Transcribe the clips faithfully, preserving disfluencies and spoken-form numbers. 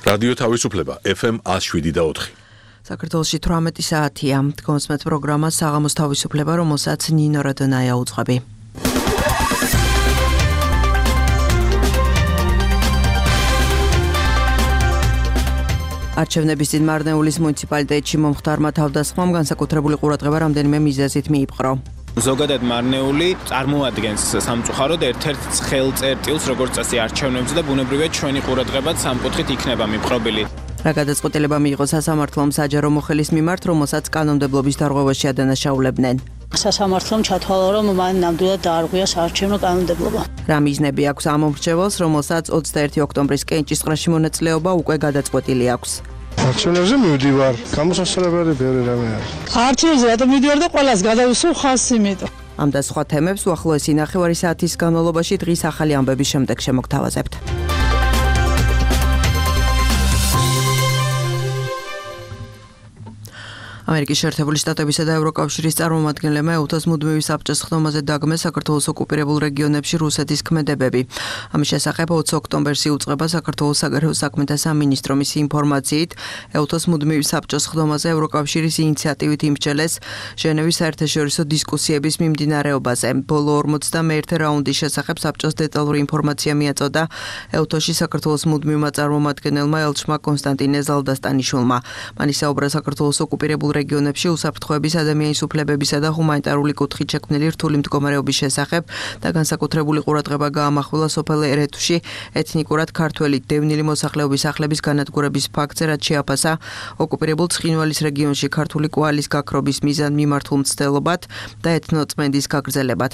რადიო თავისუფლება ეფ ემ one oh seven და four. საქართველოში თვრამეტი საათია. კონსმეთ პროგრამა საღამოს თავისუფლება, რომელსაც ნინო რადონაია უძღვები. არჩევნების წინ მარნეულის მუნიციპალიტეტში მომხდარმა თავდასხმამ განსაკუთრებული ყურადღება რამდენიმე მიზეზით მიიპყრო. ზოგადად მარნეული წარმოადგენს სამწუხაროდ ერთ-ერთ ცხელ წერტილს, როგორც წესი არჩევნებზე და ბუნებრივია ჩვენი ყურადღებაც სამკუთხით იქნება მიპყრობილი. რა გადაწყვეტილება მიიღო სასამართლომ საჯარო მოხელის მიმართ, რომელსაც კანონმდებლობის დარღვევაში ადანაშაულებდნენ. სასამართლომ ჩათვალა, რომ მან ნამდვილად დაარღვია საარჩევნო კანონმდებლობა. რა მიზნები აქვს ამ მომრჩეველს, რომელსაც ოცდაერთი ოქტომბრის კენჭისყრაში მონაწილეობა უკვე გადაწყვეტილი აქვს. არჩევნებზე მივდივარ, გამოსასწორებელი ბევრი რამე არის. არჩევნებზე რატომ მივდივარ და ყველას გადავისვო ხას იმიტომ. ამ და სხვა თემებს უახლოესი ნახევარი საათის განმავლობაში დღის ახალი ამბების შემდეგ შემოგთავაზებთ. ამერიკის შეერთებული შტატებისა და ევროკავშირის წარმომადგენლებმა ეუთოს მუდმივი საბჭოს ხდომაზე დაგმეს საქართველოს ოკუპირებულ რეგიონებში რუსეთის ქმედებები. ამის შესახებ ოცი ოქტომბერს იუწყება საქართველოს საგარეო საქმეთა სამინისტრო. მისი ინფორმაციით, ეუთოს მუდმივი საბჭოს ხდომაზე ევროკავშირის ინიციატივით იმსჯელეს ჟენევის საერთაშორისო დისკუსიების მიმდინარეობაზე. ბოლო ორმოცდამეერთე რაუნდის შესახებ საბჭოს დეტალური ინფორმაცია მიაწოდა ეუთოში საქართველოს მუდმივმა წარმომადგენელმა ელჩმა კონსტანტინე ზალდასტანიშვილმა. მან ისაუბრა საქართველოს ოკუპირებულ რეგიონებში უსაფრთხოების, ადამიანის უფლებებისა და ჰუმანიტარული კუთხით შექმნილი რთული მდგომარეობის შესახებ და განსაკუთრებული ყურადღება გაამახვილა სოფელ ერეთუში ეთნიკურად ქართველი დევნილი მოსახლეობის სახლების განადგურების ფაქტზე, რაც შეაფასა ოკუპირებულ ცხინვალის რეგიონში ქართული კვალის გაქრობის მიზან მიმართულ მცდელობად და ეთნოწმენდის გაგრძელებად.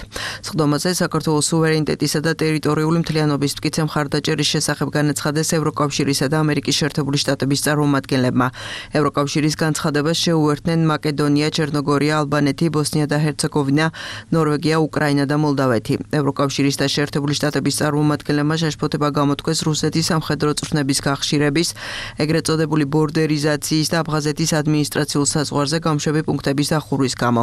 სხდომაზე საქართველოს სუვერენიტეტისა და ტერიტორიული მთლიანობის მტკიცე მხარდაჭერის შესახებ განაცხადეს ევროკავშირისა და ამერიკის შეერთებული შტატების წარმომადგენლებმა. ევროკავშირის განცხადებას შეუერთდნენ მაკედონია, ჩერნოგორია, ალბანეთი, ბოსნია და ჰერცეგოვინა, ნორვეგია, უკრაინა და მოლდავეთი. ევროკავშირის და შეერთებული შტატების წარმომადგენლებმა შეშფოთება გამოთქვეს რუსეთის სამხედრო წვრთნების გახშირების, ეგრეთ წოდებული ბორდერიზაციის და აფხაზეთის ადმინისტრაციულ საზღვარზე გამშვები პუნქტების დახურვის გამო.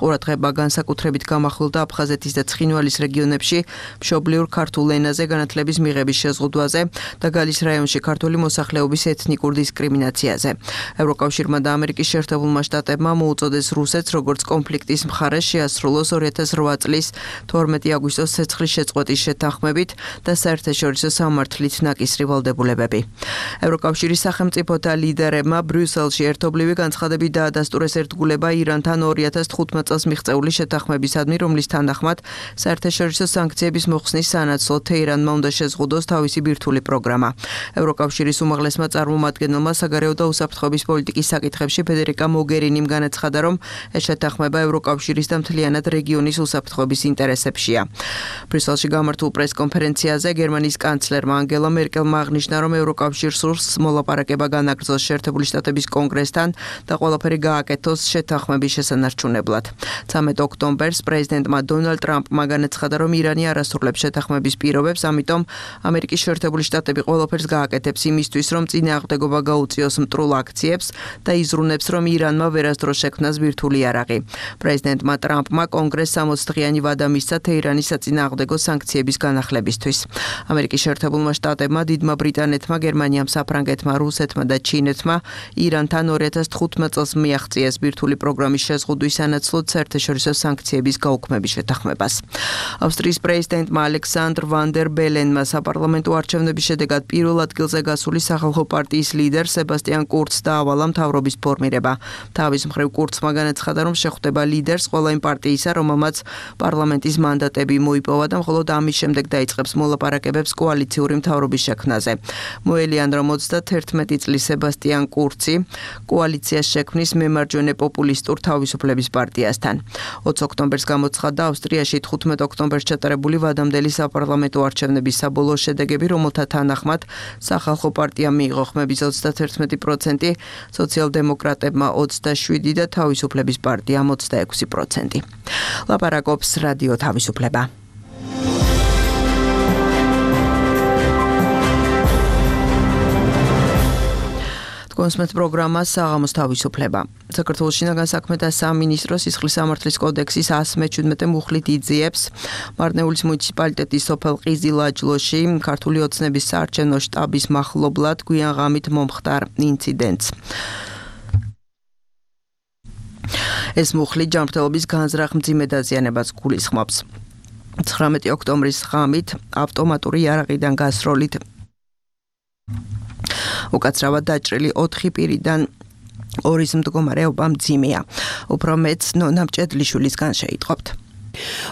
ყურადღება განსაკუთრებით გამახვილდა აფხაზეთის და ცხინვალის რეგიონებში მშობლიურ ქართულ ენაზე განათლების მიღების შეზღუდვაზე და გალის რაიონში ქართული მოსახლეობის ეთნიკურ დისკრიმინაციაზე. ევროკავშირმა და ამერიკის შეერთებულმა შტატებმა მოუწოდეს რუსეთს, როგორც კონფლიქტის მხარეს შეასრულოს ორი ათას რვა წლის თორმეტი აგვისტოს ცეცხლის შეწყვეტის შეთანხმებით და საერთაშორისო სამართლით ნაკისრი ვალდებულებები. ევროკავშირის სახელმწიფოთა ლიდერებმა ბრიუსელში ერთობლივი განცხადებით დაადასტურეს ერთგულება ირანთან ორი ათას თხუთმეტ წელს მიღწეული შეთანხმებისადმი, რომლის თანახმად საერთაშორისო სანქციების მოხსნის სანაცვლოდ თეირანმა უნდა შეზღუდოს თავისი ბირთვული პროგრამა. ევროკავშირის უმაღლესმა წარმომადგენელმა საგარეო და უსაფრთხოების პოლიტიკის საკითხებში ფედერიკა მოგერინიმ განაცხადა, რომ ეს შეთანხმება ევროკავშირის და მთლიანად რეგიონის უსაფრთხოების ინტერესებშია. ბრიუსელში გამართულ პრესკონფერენციაზე გერმანიის კანცლერმა ანგელა მერკელმა აღნიშნა, რომ ევროკავშირს სურს მოლაპარაკება განაგრძოს შეერთებული შტატების კონგრესთან და ყველაფერი გააკეთოს შეთანხმების შესანარჩუნებლად. ცამეტ ოქტომბერს პრეზიდენტმა დონალდ ტრამპმა განაცხადა, რომ ირანი არ ასრულებს შეთანხმების პირობებს, ამიტომ ამერიკის შეერთებული შტატები ყველაფერს გააკეთებს იმისთვის, რომ წინააღმდეგობა გაუწიოს მტრულ აქციებს და იზრუნებს, რომ ირანმა ვერასდროს შექმნას ბირთვული იარაღი. პრეზიდენტმა ტრამპმა კონგრესს სამოცდღიანი ვადა მისცა თეირანის საწინააღმდეგო სანქციების განახლებისთვის. ამერიკის შეერთებულმა შტატებმა, დიდმა ბრიტანეთმა, გერმანიამ, საფრანგეთმა, რუსეთმა და ჩინეთმა ირანთან ორი ათას თხუთმეტ წელს მიაღწიეს ბირთვული პროგრამის შეზღუდვის სანაცვლოდ საერთაშორისო სანქციების გაუქმების შეთანხმებას. ავსტრიის პრეზიდენტმა ალექსანდრ ვან დერ ბელენმა საპარლამენტო არჩევნების შედეგად პირველ ადგილზე გასული სახალხო პარტიის ლიდერ სებასტიან კურცს დაავალა მთავრობის ფორმირება. თავის მხრივ კურცმა განაცხადა, რომ შეხვდება ლიდერს ყველა იმ პარტიისა, რომელმაც პარლამენტის მანდატები მოიპოვა და მხოლოდ ამის შემდეგ დაიწყებს მოლაპარაკებებს კოალიციური მთავრობის შექმნაზე. მოელიან, რომ ოცდაათერთმეტი წლის სებასტიან კურცი კოალიციას შექმნის მემარჯვენე პოპულისტურ თავისუფლების პარტიასთან. ოცი ოქტომბერს გამოცხადდა ავსტრიაში თხუთმეტ ოქტომბერს ჩატარებული ვადამდელი საპარლამენტო არჩევნების საბოლოო შედეგები, რომელთა თანახმად სახალხო პარტიამ მიიღო ხმების ოცდაათერთმეტი პროცენტი, სოციალ-დემოკრატებმა ოცდაშვიდი და თავისუფლების პარტიამ ოცდაექვსი პროცენტი. ლაპარაკობს რადიო თავისუფლება. კონსმეთ პროგრამა საღამოს თავისუფლება. საქართველოს შინაგან საქმეთა სამინისტრო სისხლის სამართლის კოდექსის εκατს მეჩვიდმეტე მუხლით იძიებს მარნეულის მუნიციპალიტეტის სოფელ ყიზილაჯლოში ქართული ოცნების საარჩევნო შტაბის მახლობლად გვიან ღამით მომხდარ ინციდენტს. ეს მუხლი ჯანმრთელობის განზრახ მძიმე დაზიანებას გულისხმობს. ცხრამეტი ოქტომბრის ღამით ავტომატური იარაღიდან გასროლით უკაცრავად დაჭრილი ოთხი პირიდან ორის მდგომარეობა მძიმეა. უფრო მეც ნონა მჭედლიშვილისგან შეიტყობთ.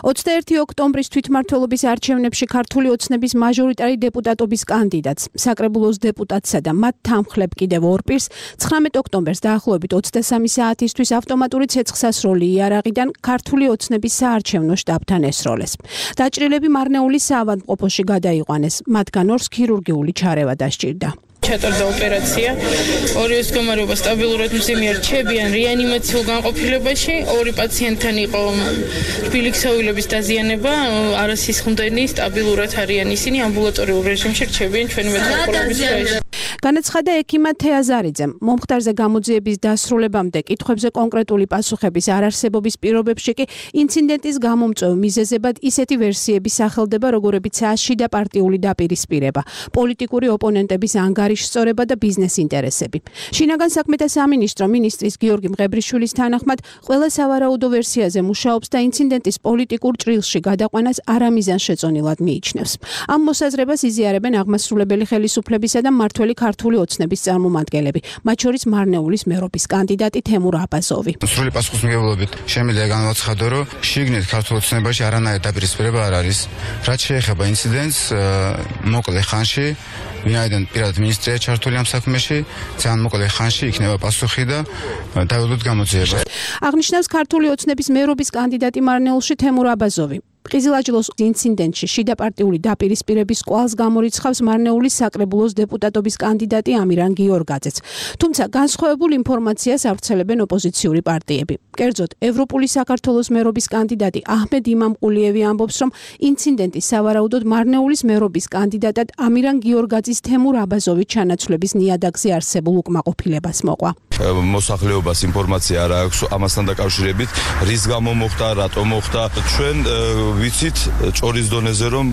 ოცდაერთი ოქტომბრის თვითმმართველობის არჩევნებში ქართული ოცნების მაჟორიტარი დეპუტატობის კანდიდატს, საკრებულოს დეპუტატსა და მათ თანმხლებ კიდევ ორ პირს ცხრამეტი ოქტომბერს დაახლოებით ოცდასამი საათისთვის ავტომატური ცეცხლსასროლი იარაღიდან ქართული ოცნების საარჩევნო შტაბთან ესროლეს. დაჭრილები მარნეულის საავადმყოფოში გადაიყვანეს, მათგან ორს ქირურგიული ჩარევა დასჭირდა. ჩატარდა ოპერაცია. ორივეს მდგომარეობა სტაბილურად მძიმე რჩებიან რეანიმაციულ განყოფილებაში. ორი პაციენტთან იყო რბილი ქსოვილების დაზიანება, არასისხლდენი, სტაბილურად არიან ისინი ამბულატორიულ რეჟიმში რჩებიან ჩვენი მეტყველების ქვეშ. განაცხადა ექიმა თეაზარიძემ, მომხდარზე გამოძიების დასრულებამდე კითხვებზე კონკრეტული პასუხების არარსებობის პირობებში კი ინციდენტის გამომწვევ მიზეზებად ისეთი ვერსიები სახელდება, როგორებიცაა შიდა პარტიული დაპირისპირება, პოლიტიკური ოპონენტების ანგარიშსწორება და ბიზნეს ინტერესები. შინაგან საქმეთა სამინისტრო მინისტრის გიორგი მღებრიშვილის თანახმად ყველა სავარაუდო ვერსიაზე მუშაობს და ინციდენტის პოლიტიკურ ჭრილში გადაყვანას არამიზანშეწონილად მიიჩნევს. ამ მოსაზრებას იზიარებენ აღმასრულებელი ხელისუფლებისა და მმართველი ქართული ოცნების წარმომადგენლები, მათ შორის მარნეულის მერობის კანდიდატი თემურ აბაზოვი. სრული პასუხისმგებლობით შემიძლია განვაცხადო, რომ შიგნით ქართულ ოცნებაში არანაირი დაპირისპირება არ არის. რაც შეეხება ინციდენტს, მოკლე ხანში ვინაიდან პირადად მინისტრია ჩართული ამ საქმეში, ძალიან მოკლე ხანში იქნება პასუხი და დაველოთ გამოძიება. აღნიშნავს ქართული ოცნების მერობის კანდიდატი მარნეულში თემურ აბაზოვი. ყიზილაჯლოს ინციდენტში შიდა პარტიული დაპირისპირების კვალს გამორიცხავს მარნეულის საკრებულოს დეპუტატობის კანდიდატი ამირან გიორგაძეც. თუმცა განსხვავებულ ინფორმაციას ავრცელებენ ოპოზიციური პარტიები. კერძოდ, ევროპული საქართველოს მერობის კანდიდატი აჰმედ იმამყულიევი ამბობს, რომ ინციდენტი სავარაუდოდ მარნეულის მერობის კანდიდატად ამირან გიორგაძის თემურ აბაზოვის ჩანაცვლების ნიადაგზე არსებულ უკმაყოფილებას მოყვა. მოსახლეობას ინფორმაცია არ აქვს ამასთან დაკავშირებით, რის გამო მოხდა, რატომ მოხდა. ჩვენ ვიცით ჭორის დონეზე, რომ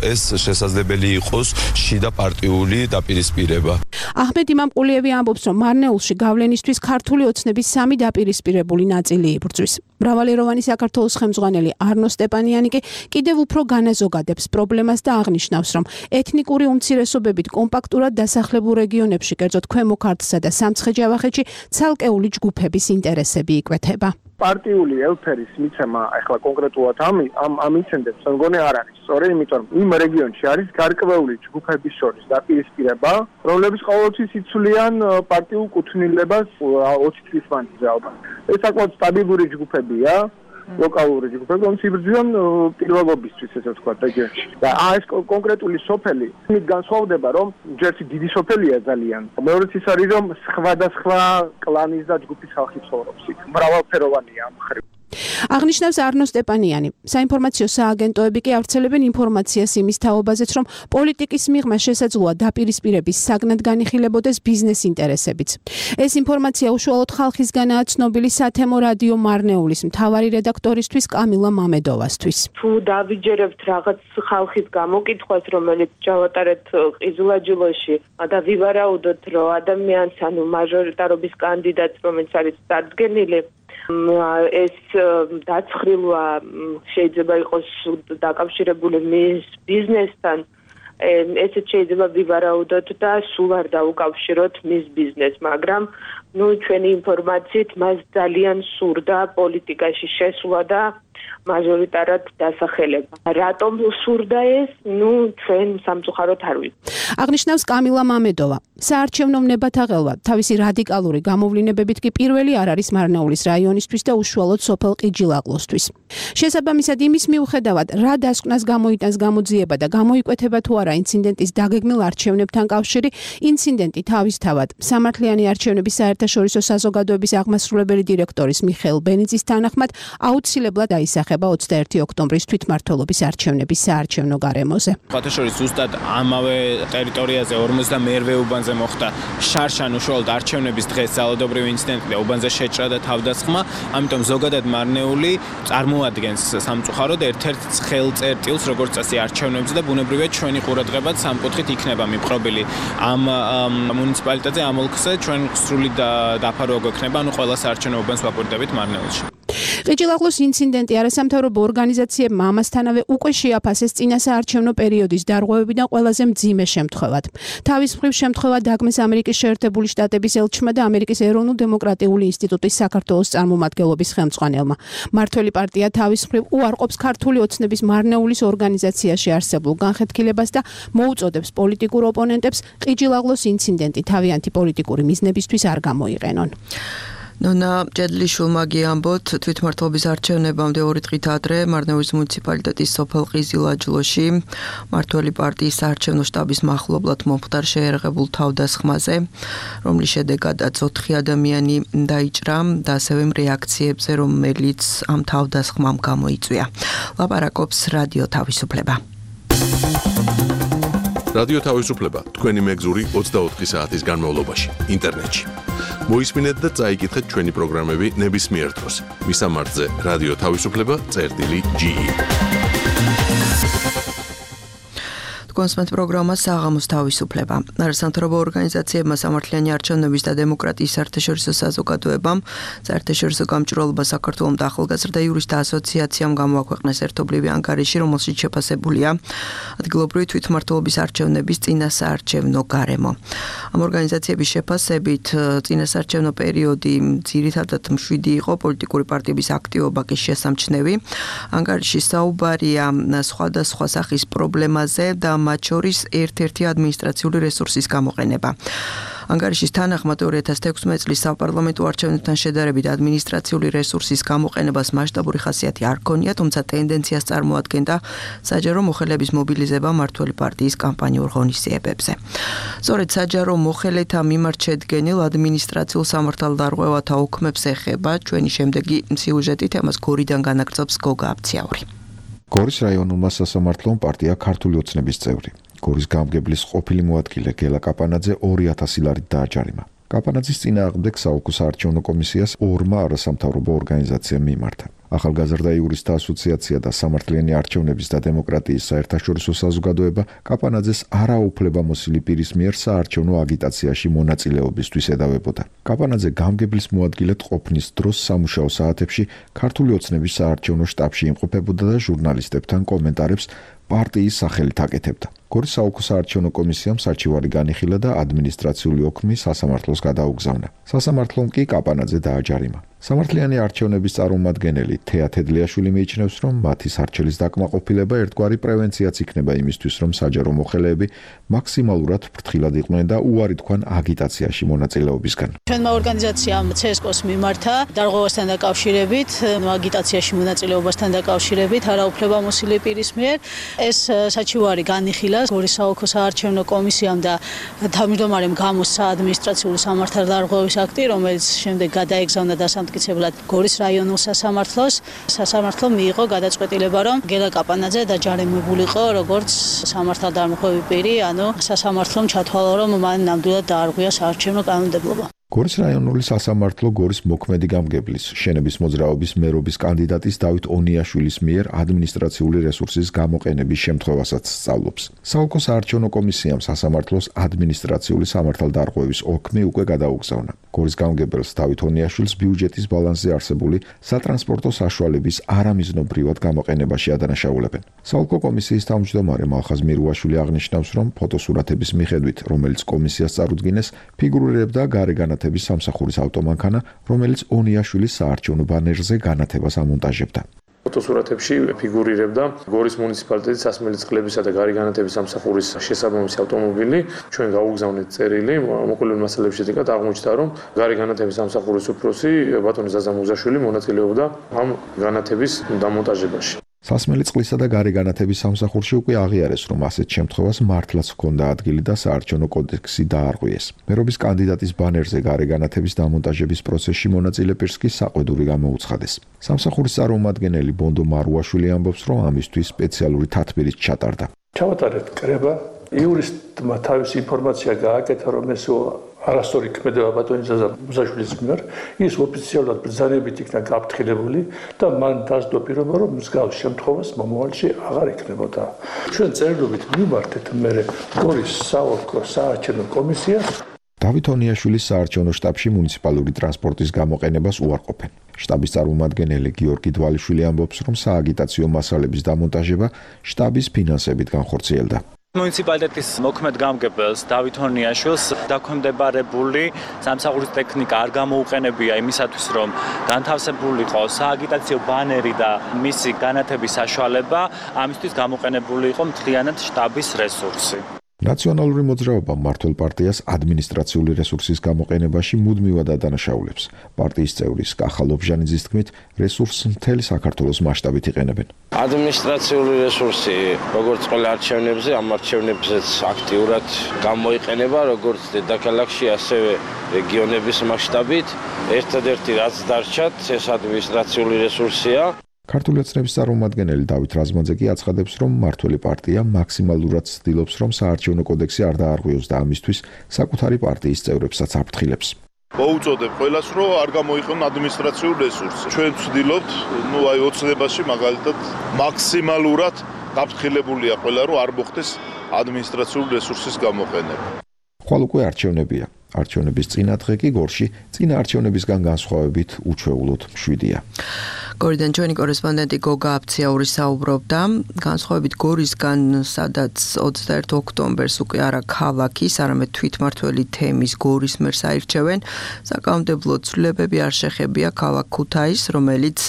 ეს შესაძლებელი იყოს შიდა პარტიული დაპირისპირება. აჰმედ იმამყულიევი ამბობს, რომ მარნეულში გავლენისთვის ქართული ოცნების სამი დაპირისპირებული ნაწილი იბრძვის. მრავალეროვანი საქართველოს ხელმძღვანელი არნო სტეპანიანი კი კიდევ უფრო განაზოგადებს პრობლემას და აღნიშნავს, რომ ეთნიკური უმცირესობებით კომპაქტურად დასახლებულ რეგიონებში, კერძოდ ქვემო ქართლსა და სამცხე-ჯავახეთში, ცალკეული ჯგუფების ინტერესები იკვეთება. პარტიული ელფერის მიცემა ახლა კონკრეტულად ამ ამ ამ ინციდენტს მგონი არ არის. სწორედ იმიტომ, იმ რეგიონში არის გარკვეული ჯგუფების შორის დაპირისპირება, რომლებიც ყოველთვის იცვლიან პარტიულ კუთვნილებას ოცი წლის მანძილზე ალბათ. ეს საკმაოდ სტაბილური ჯგუფებია, ლოკალური ჯგუფები, რომლებიც იბრძვიან პირველობისთვის, ესე ვთქვათ, რეგიონში. და ეს კონკრეტული სოფელი იმით განსხვავდება, რომ ჯერში დიდი სოფელია ძალიან. მეორეც ის არის, რომ სხვადასხვა კლანის და ჯგუფის ხალხი ცხოვრობს იქ. მრავალფეროვანია ამ ხრივ. აღნიშნავს არნო სტეპანიანი. საინფორმაციო სააგენტოები კი ავრცელებენ ინფორმაციას იმის თაობაზეც, რომ პოლიტიკის მიღმა შესაძლოა დაპირისპირების საგნად განიხილებოდეს ბიზნეს ინტერესებიც. ეს ინფორმაცია უშუალოდ ხალხისგანაა ცნობილი სათემო რადიო მარნეულის მთავარი რედაქტორისთვის კამილა მამედოვასთვის. თუ დავიჯერებთ რაღაც ხალხის გამოკითხვას, რომელიც ჩავატარეთ ყიზილაჯლოში და ვივარაუდოთ, რომ ადამიანს ანუ მაჟორიტარობის კანდიდატს, რომელიც არის წარდგენილი, ეს დაცხრილვა შეიძლება იყოს დაკავშირებული მის ბიზნესთან, ესეც შეიძლება ვივარაუდოთ და სულ არ დაუკავშიროთ მის ბიზნესს, მაგრამ ნუ ჩვენი ინფორმაციით მას ძალიან სურდა პოლიტიკაში შესვლა და მაჟორიტარად დასახელება. რატომ სურდა ეს? ნუ ჩვენ სამწუხაროდ არ ვიცით. აღნიშნავს კამილა მამედოვა. საარჩევნო ნებათაღელვა თავისი რადიკალური გამოვლინებებით კი პირველი არ არის მარნეულის რაიონისთვის და უშუალოდ სოფელ ყიჯილაყლოსთვის. შესაბამისად იმის მიუხედავად, რა დასკვნას გამოიტანს გამოძიება და გამოიკვეთება თუ არა ინციდენტის დაგეგმილ არჩევნებთან კავშირი, ინციდენტი თავისთავად სამართლიანი არჩევნების საერთაშორისო საზოგადოების აღმასრულებელი დირექტორის მიხეილ ბენიძის თანახმად აუცილებლად აისახება ეხება ოცდაერთი ოქტომბრის თვითმმართველობის არჩევნების საარჩევნო გარემოზე. ფათაშორის ზუსტად ამავე ტერიტორიაზე ორმოცდამეერვე უბანზე მოხდა შარშან უშუალოდ არჩევნების დღეს ძალადობრივი ინციდენტი და უბანზე შეჭრა და თავდასხმა, ამიტომ ზოგადად მარნეული წარმოადგენს სამწუხაროდ ერთ-ერთ ცხელ წერტილს, როგორც წესი არჩევნებზე და ბუნებრივია ჩვენი ყურადღებაც სამკუთხით იქნება მიპყრობილი ამ მუნიციპალიტეტზე, ამ ოლქზე ჩვენ სრული დაფარვა გვექნება, ანუ ყველა საარჩევნო უბანს ვაკვირდებით მარნეულში. ყიჯილაღლოს ინციდენტი არასამთავრობო ორგანიზაციებმა ამასთანავე უკვე შეაფასეს წინასაარჩევნო პერიოდის დარღვევებიდან ყველაზე მძიმე შემთხვევად. თავის მხრივ შემთხვევა დაგმეს ამერიკის შეერთებული შტატების ელჩმა და ამერიკის ეროვნულ დემოკრატიული ინსტიტუტის საქართველოს წარმომადგენლობის ხელმძღვანელმა. მართველი პარტია თავის მხრივ უარყოფს ქართული ოცნების მარნეულის ორგანიზაციაში არსებულ განხეთქილებას და მოუწოდებს პოლიტიკურ ოპონენტებს ყიჯილაღლოს ინციდენტი თავიანთი პოლიტიკური მიზნებისთვის არ გამოიყენონ. ნონა ჭედლიშვილმა გიამბოთ თვითმმართველობის არჩევნებამდე ორი დღით ადრე მარნეულის მუნიციპალიტეტის სოფელ ყიზილაჯლოში მართველი პარტიის საარჩევნო შტაბის მახლობლად მომხდარ შეერაღებულ თავდასხმაზე, რომლის შედეგადაც ოთხი ადამიანი დაიჭრა და ასევე რეაქციებზე, რომელიც ამ თავდასხმამ გამოიწვია. ლაპარაკობს რადიო თავისუფლება. რადიო თავისუფლება თქვენი მეგზური ოცდაოთხი საათის განმავლობაში ინტერნეტში. მოისმინეთ და წაიკითხეთ ჩვენი პროგრამები ნებისმიერ დროს. მისამართზე რადიო თავისუფლება წერტილი ჯი. კონსმეთ პროგრამა საღამოს თავისუფლება. არასამთავრობო ორგანიზაციებმა სამართლიანი არჩევნების და დემოკრატიის საერთაშორისო საზოგადოებამ საერთაშორისო გამჭვირვალობა საქართველოს და ახალგაზრდა იურისტთა ასოციაციამ გამოაქვეყნეს ერთობლივი ანგარიში, რომელშიც შეფასებულია ადგილობრივი თვითმმართველობის არჩევნების წინასაარჩევნო გარემო. ამ ორგანიზაციების შეფასებით წინასაარჩევნო პერიოდი ძირითადად მშვიდი იყო, პოლიტიკური პარტიების აქტივობა კი შესამჩნევი. ანგარიში საუბარია სხვადასხვა სახის პრობლემაზე და მათ შორის ერთ-ერთი ადმინისტრაციული რესურსის გამოყენება. ანგარიშის თანახმად ორი ათას ექვსმეტ წლის საპარლამენტო არჩევნებთან შედარებით ადმინისტრაციული რესურსის გამოყენებას მასშტაბური ხასიათი არ ჰქონია, თუმცა ტენდენციას წარმოადგენდა საჯარო მოხელეების მობილიზება მართველი პარტიის კამპანიურ ღონისძიებებზე. სწორედ საჯარო მოხელეთა მიმართ შედგენილ ადმინისტრაციულ სამართალდარღვევათა ოქმებს ეხება ჩვენი შემდეგი სიუჟეტი, თემას გორიდან განაგრძობს გოგა აბციაური. გორის რაიონულმა სასამართლომ პარტია ქართული ოცნების წევრი გორის გამგებლის ყოფილი მოადგილე გელა კაპანაძე ორი ათასი ლარით დააჯარიმა. კაპანაძის წინააღმდეგ საოლქო საარჩევნო კომისიას ორმა არასამთავრობო ორგანიზაციამ მიმართა. ახალგაზრდა იურისტთა ასოციაცია და სამართლიანი არჩევნების და დემოკრატიის საერთაშორისო საზოგადოება კაპანაძეს არაუფლებამოსილი პირის მიერ საარჩევნო აგიტაციაში მონაწილეობისთვის ედავებოდა. კაპანაძე გამგებლის მოადგილედ ყოფნის დროს სამუშაო საათებში ქართული ოცნების საარჩევნო შტაბში იმყოფებოდა და ჟურნალისტებთან კომენტარებს პარტიის სახელით აკეთებდა. გორის საოლქო საარჩევნო კომისიამ საჩივარი განიხილა და ადმინისტრაციული ოქმი სასამართლოს გადაუგზავნა. სასამართლომ კი კაპანაძე დააჯარიმა. სამართლიანი არჩევნების წარმომადგენელი თეა თედლიაშვილი მიიჩნევს, რომ მათი სარჩელის დაკმაყოფილება ერთგვარი პრევენციაც იქნება იმისთვის, რომ საჯარო მოხელეები მაქსიმალურად ფრთხილად იყვნენ და უარი თქვან აგიტაციაში მონაწილეობისგან. ჩვენმა ორგანიზაციამ ცესკოს მიმართა დარღვევასთან დაკავშირებით, აგიტაციაში მონაწილეობასთან დაკავშირებით არაუფლებამოსილი პირის მიერ ეს საჩივარი განიხილა გორის საოლქო საარჩევნო კომისიამ და თავმჯდომარემ გამოსცა ადმინისტრაციული სამართალდარღვევის აქტი, რომელიც შემდეგ გადაეგზავნა დასამტკიცებლად გორის რაიონულ სასამართლოს. სასამართლომ მიიღო გადაწყვეტილება, რომ გელა კაპანაძე დაჯარიმებულიყო როგორც სამართალდამხვევი პირი, ანუ სასამართლომ ჩათვალა, რომ მან ნამდვილად დაარღვია საარჩევნო კანონმდებლობა. გორის რაიონული სასამართლო გორის მოქმედი გამგებლის შენების მოძრაობის მერობის კანდიდატის დავით ონიაშვილის მიერ ადმინისტრაციული რესურსის გამოყენების შემთხვევასაც სწავლობს. საოლქო საარჩევნო კომისიამ სასამართლოს ადმინისტრაციული სამართალდარღვევის ოქმი უკვე გადაუგზავნა. გორის გამგებელს დავით ონიაშვილს ბიუჯეტის ბალანსზე არსებული სატრანსპორტო საშუალების არამიზნობრივად გამოყენებაში ადანაშაულებენ. საოლქო კომისიის თავმჯდომარე მალხაზ მირუაშვილი აღნიშნავს, რომ ფოტოსურათების მიხედვით, რომელიც კომისიას წარუდგინეს, ფიგურირებდა გარეგანა სამსახურის ავტომანქანა, რომელიც ონიაშვილის საარჩევნო ბანერზე განათებას ამონტაჟებდა. ფოტოსურათებში ფიგურირებდა გორის მუნიციპალიტეტის სასმელი წყლებისა და გარეგანათების სამსახურის შესაბამისი ავტომობილი. ჩვენ გაუგზავნეთ წერილი, მოყოლილ მასალებში შედეგად აღმოჩნდა, რომ გარეგანათების სამსახურის უფროსი ბატონი ზაზა მუზაშვილი მონაწილეობდა ამ განათების დამონტაჟებაში. სასმელი წყლისა და გარეგანათების სამსახურში უკვე აღიარეს, რომ ასეთ შემთხვევას მართლაც ჰქონდა ადგილი და საარჩევნო კოდექსი დაარღვიეს. მერობის კანდიდატის ბანერზე გარეგანათების დამონტაჟების პროცესში მონაწილე პირს კი საყვედური გამოუცხადეს. სამსახურის წარმომადგენელი ბონდო მარუაშვილი ამბობს, რომ ამისთვის სპეციალური თათბირით ჩატარდა. ჩავატარეთ კრება, იურისტმა თავისი ინფორმაცია გააკეთა, რომ ეს არასწორი ქმედება ბატონი ზაზა მუსაშვილის მიერ, ის ოფიციალურად ბრძანებით იქნა გაფრთხილებული და მან დასდო პირობა, რომ მსგავს შემთხვევას მომავალში აღარ იქნებოდა. ჩვენ წერილობით მივმართეთ მერე გორის საოლქო საარჩევნო კომისიას. დავით ონიაშვილის საარჩევნო შტაბში მუნიციპალური ტრანსპორტის გამოყენებას უარყოფენ. შტაბის წარმომადგენელი გიორგი დვალიშვილი ამბობს, რომ სააგიტაციო მასალების დამონტაჟება შტაბის ფინანსებით განხორციელდა. მუნიციპალიტეტის მოქმედ გამგებელს დავით ონიაშვილს დაქვემდებარებული სამსახურის ტექნიკა არ გამოუყენებია იმისათვის, რომ განთავსებული იყო სააგიტაციო ბანერი და მისი განათების საშუალება, ამისთვის გამოყენებული იყო მთლიანად შტაბის რესურსი. ნაციონალური მოძრაობა მმართველ პარტიას ადმინისტრაციული რესურსის გამოყენებაში მუდმივად ადანაშაულებს. პარტიის წევრი კახა ლობჟანიძის თქმით, რესურსს მთელი საქართველოს მასშტაბით იყენებენ. ადმინისტრაციული რესურსი, როგორც ყველა არჩევნებზე, ამ არჩევნებზეც აქტიურად გამოიყენება, როგორც დედაქალაქში, ასევე რეგიონების მასშტაბით. ერთადერთი რაც დარჩათ, ეს ადმინისტრაციული რესურსია. ქართული ოცნების წარმომადგენელი დავით რაზმაძე კი აცხადებს, რომ მმართველი პარტია მაქსიმალურად ცდილობს, რომ საარჩევნო კოდექსი არ დაარღვიოს და ამისთვის საკუთარი პარტიის წევრებსაც აფრთხილებს. მოუწოდებ ყველას, რომ არ გამოიყენონ ადმინისტრაციულ რესურსს. ჩვენ ვცდილობთ, ну აი ოცნებაში მაგალითად მაქსიმალურად გაფრთხილებულია ყველა, რომ არ მოხდეს ადმინისტრაციული რესურსის გამოყენება. ხვალ უკვე არჩევნებია. არჩევნების წინა დღე კი გორში წინა არჩევნებისგან განსხვავებით უჩვეულოდ მშვიდია. გორიდან ჩვენი კორესპონდენტი გოგა აფციაური საუბრობდა, განსხვავებით გორისგან, სადაც ოცდაერთი ოქტომბერს უკვე არა ქალაქის, არამედ თვითმმართველი თემის გორის მერს აირჩევენ, საკანონმდებლო ცვლილებები არ შეხებია ქალაქ ქუთაისს, რომელიც